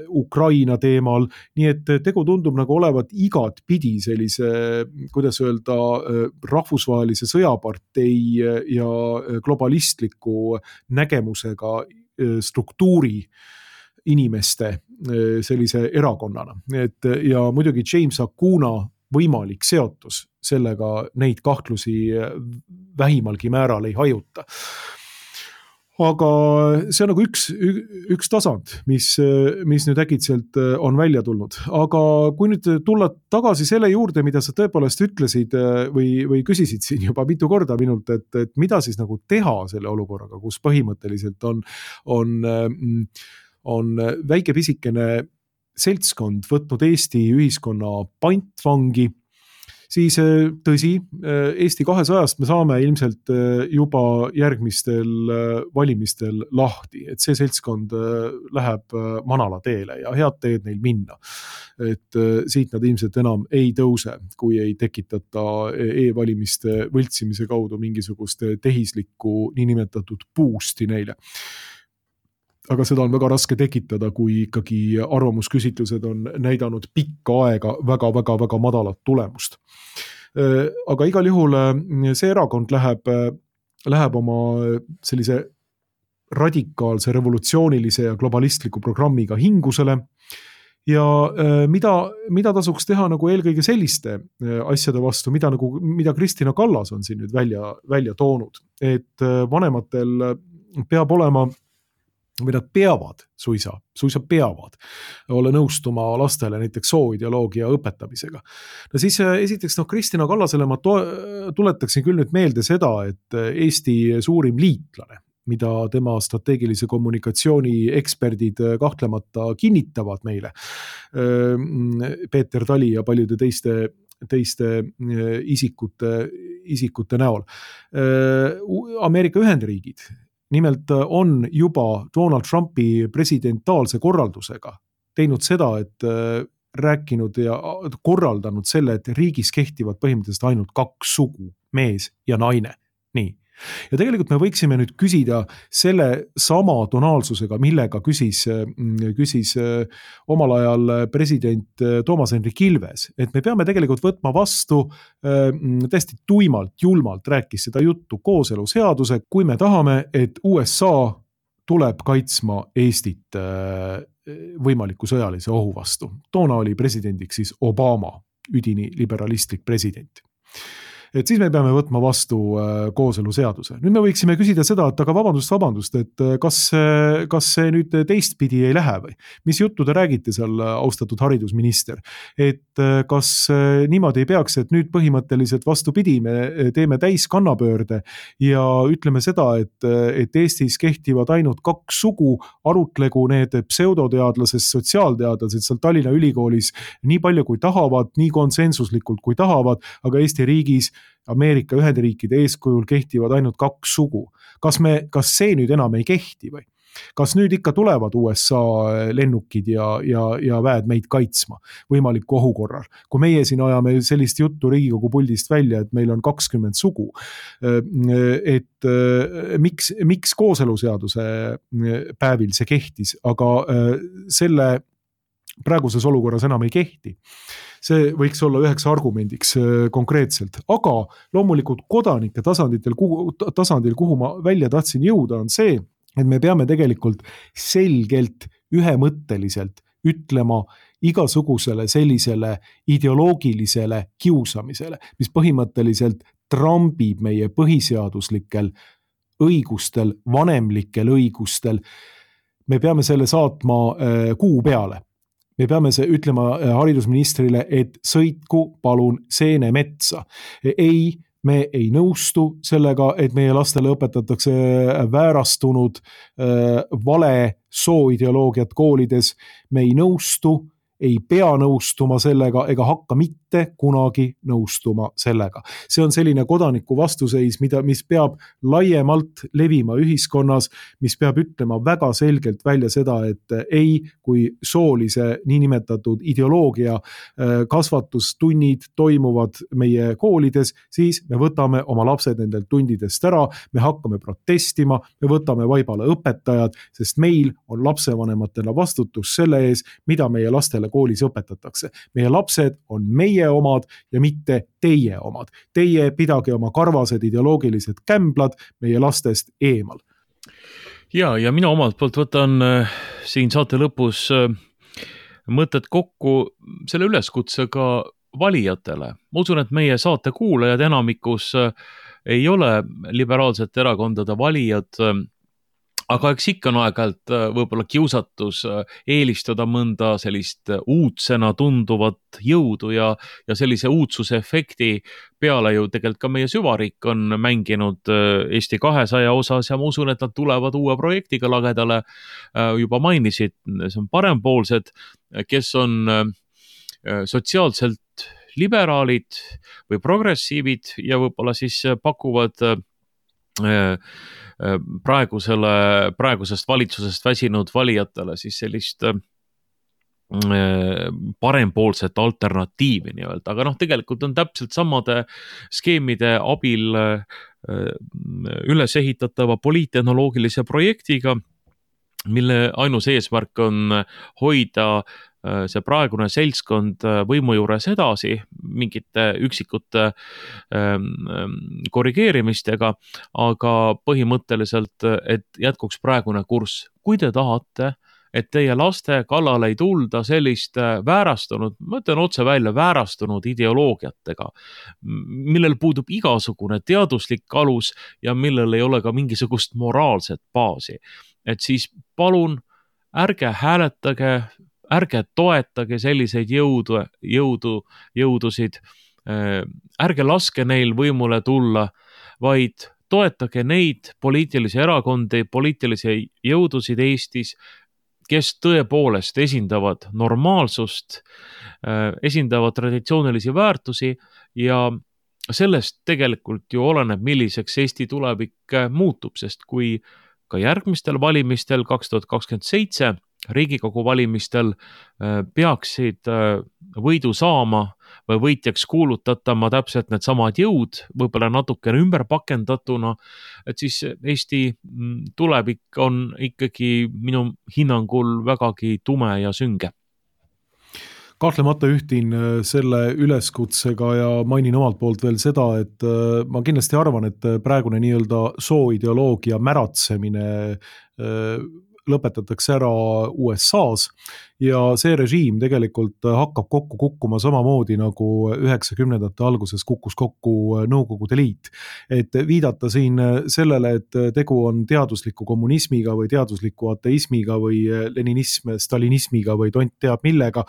Ukraina teemal, nii et tegu tundub nagu olevat igat pidi sellise, kuidas öelda, rahvusvahelise sõjapartei ja globalistliku nägemusega struktuuri inimeste sellise erakonnana. Ja muidugi James Acuna võimalik seotus sellega neid kahtlusi vähimalgi määral ei hajuta. Aga see on nagu üks tasand, mis nüüd äkitselt on välja tulnud. Aga kui nüüd tulla tagasi selle juurde, mida sa tõepoolest ütlesid või küsisid siin juba mitu korda minult, et mida siis nagu teha selle olukorraga, kus põhimõtteliselt on väike pisikene seltskond võtnud Eesti ühiskonna pantvangi, siis tõsi, Eesti 200-st me saame ilmselt juba järgmistel valimistel lahti, et see seltskond läheb manala teele ja head teed neil minna. Et siit nad ilmselt enam ei tõuse, kui ei tekitata e-valimiste võltsimise kaudu mingisugust tehislikku niinimetatud boost'i neile. Aga seda on väga raske tekitada, kui ikkagi arvamusküsitlused on näidanud pikka aega väga madalat tulemust. Aga igal juhul see erakond läheb oma sellise radikaalse, revolutsioonilise ja globalistliku programmiga hingusele ja mida tasuks teha nagu eelkõige selliste asjade vastu, mida Kristina Kallas on siin nüüd välja toonud, et vanematel peab olema või nad peavad suisa peavad olla nõustuma lastele näiteks sooideoloogia õpetamisega. No siis esiteks Kristina Kallasele ma tuletaksin küll nüüd meelde seda, et Eesti suurim liitlane, mida tema strateegilise kommunikatsiooni eksperdid kahtlemata kinnitavad meile, Peeter Tali ja paljude teiste isikute näol. Ameerika Ühendriigid nimelt on juba Donald Trumpi presidentaalse korraldusega teinud seda, et rääkinud ja korraldanud selle, et riigis kehtivad põhimõtteliselt ainult 2 sugu, mees ja naine. Nii. Ja tegelikult me võiksime nüüd küsida selle sama tonaalsusega, millega küsis omal ajal president Toomas Hendrik Ilves, et me peame tegelikult võtma vastu täiesti tuimalt, julmalt rääkis seda juttu kooseluseaduse, kui me tahame, et USA tuleb kaitsma Eestit võimaliku sõjalise ohu vastu. Toona oli presidendiks siis Obama, üdini liberalistlik president. Et siis me peame võtma vastu kooseluseaduse. Nüüd me võiksime küsida seda, et aga vabandust, et kas see nüüd teistpidi ei lähe või? Mis juttu te räägite seal, austatud haridusminister? Et kas niimoodi ei peaks, et nüüd põhimõtteliselt vastupidi, me teeme täiskannapöörde ja ütleme seda, et Eestis kehtivad ainult 2 sugu, arutlegu need pseudoteadlased, sotsiaalteadlased seal Tallinna Ülikoolis nii palju kui tahavad, nii konsensuslikult kui tahavad, aga Eesti riigis Ameerika Ühendriikide eeskujul kehtivad ainult 2 sugu. Kas see nüüd enam ei kehti või? Kas nüüd ikka tulevad USA lennukid ja väed meid kaitsma võimaliku ohu korral? Kui meie siin ajame sellist juttu Riigikogu puldist välja, et meil on 20 sugu, et miks kooseluseaduse päevil see kehtis, aga selle praeguses olukorras enam ei kehti. See võiks olla üheks argumendiks konkreetselt, aga loomulikult kodanike tasandil, kuhu ma välja tahtsin jõuda, on see, et me peame tegelikult selgelt, ühemõtteliselt ütlema igasugusele sellisele ideoloogilisele kiusamisele, mis põhimõtteliselt trambib meie põhiseaduslikel õigustel, vanemlikel õigustel. Me peame selle saatma kuu peale. Me peame ütlema haridusministrile, et sõitku palun seenemetsa. Ei, me ei nõustu sellega, et meie lastele õpetatakse väärastunud vale sooideoloogiat koolides. Me ei nõustu, ei pea nõustuma sellega ega hakka mitte kunagi nõustuma sellega. See on selline kodaniku vastuseis, mis peab laiemalt levima ühiskonnas, mis peab ütlema väga selgelt välja seda, et ei, kui soolise niinimetatud ideoloogia kasvatustunnid toimuvad meie koolides, siis me võtame oma lapsed nendelt tundidest ära, me hakkame protestima, me võtame vaibale õpetajad, sest meil on lapsevanematena vastutus selle ees, mida meie lastele koolis õpetatakse. Meie lapsed on meie omad ja mitte teie omad. Teie pidage oma karvased ideoloogilised kämblad meie lastest eemal. Ja mina omalt poolt võtan siin saate lõpus mõtted kokku selle üleskutsega valijatele. Ma usun, et meie saate kuulajad enamikus ei ole liberaalsete erakondade valijad, aga eks ikka on aeg-ajalt võib-olla kiusatus eelistada mõnda sellist uudsena tunduvat jõudu ja sellise uudsuse efekti peale ju tegelikult ka meie süvariik on mänginud Eesti 200 osas ja ma usun, et nad tulevad uue projektiga lagedale. Juba mainisid, see on parempoolsed, kes on sotsiaalselt liberaalid või progressiivid ja võib-olla siis pakuvad praegusest valitsusest väsinud valijatele siis sellist parempoolset alternatiivi nii-öelda, aga tegelikult on täpselt samade skeemide abil üles ehitatava poliittehnoloogilise projektiga, mille ainus eesmärk on hoida see praegune seltskond võimu juures edasi mingite üksikute korrigeerimistega, aga põhimõtteliselt, et jätkuks praegune kurss. Kui te tahate, et teie laste kallale ei tulda sellist väärastunud, ma ütlen otse välja, väärastunud ideoloogiatega, millel puudub igasugune teaduslik alus ja millel ei ole ka mingisugust moraalset baasi. Et siis palun ärge hääletage, ärge toetage selliseid jõudusid, ärge laske neil võimule tulla, vaid toetage neid poliitilisi erakondi, poliitilisi jõudusid Eestis, kes tõepoolest esindavad normaalsust, esindavad traditsioonilisi väärtusi ja sellest tegelikult ju oleneb, milliseks Eesti tulevik muutub, sest kui ka järgmistel valimistel 2027 Riigikogu valimistel peaksid võidu saama või võitjaks kuulutatama täpselt need samad jõud, võib-olla natukene ümber pakendatuna, et siis Eesti tulevik on ikkagi minu hinnangul vägagi tume ja sünge. Kahtlemata ühtin selle üleskutsega ja mainin omalt poolt veel seda, et ma kindlasti arvan, et praegune nii-öelda sooideoloogia märatsemine lõpetatakse ära USA-s ja see režiim tegelikult hakkab kokku kukkuma samamoodi nagu 90ndate alguses kukkus kokku Nõukogude Liit. Et viidata siin sellele, et tegu on teadusliku kommunismiga või teadusliku ateismiga või leninism, stalinismiga või tont teab millega,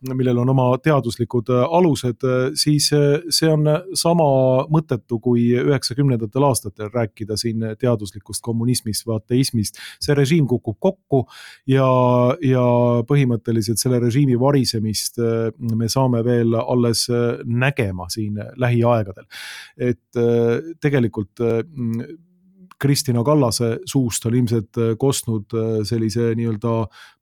millel on oma teaduslikud alused, siis see on sama mõttetu kui 90ndatel aastatel rääkida siin teaduslikust kommunismist või ateismist. See režiim kukub kokku ja põhimõtteliselt selle režiimi varisemist me saame veel alles nägema siin lähiaegadel. Et tegelikult Kristina Kallase suust on ilmselt kostnud sellise nii-öelda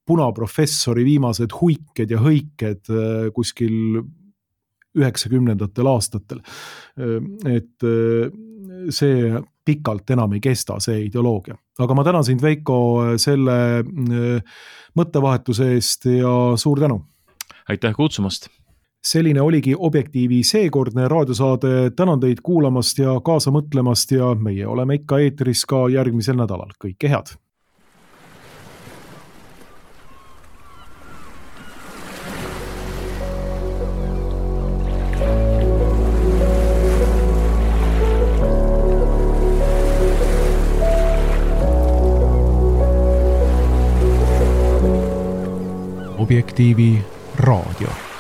punaprofessori viimased huiked ja hõiked kuskil 90ndatel aastatel. Et see pikalt enam ei kesta, see ideoloogia. Aga ma tänan sind, Veiko, selle mõttevahetuse eest ja suur tänu! Aitäh kutsumast! Selline oligi Objektiivi seekordne raadiosaade. Tänan teid kuulamast ja kaasa mõtlemast ja meie oleme ikka eetris ka järgmisel nädalal. Kõike head! Objektiivi raadio.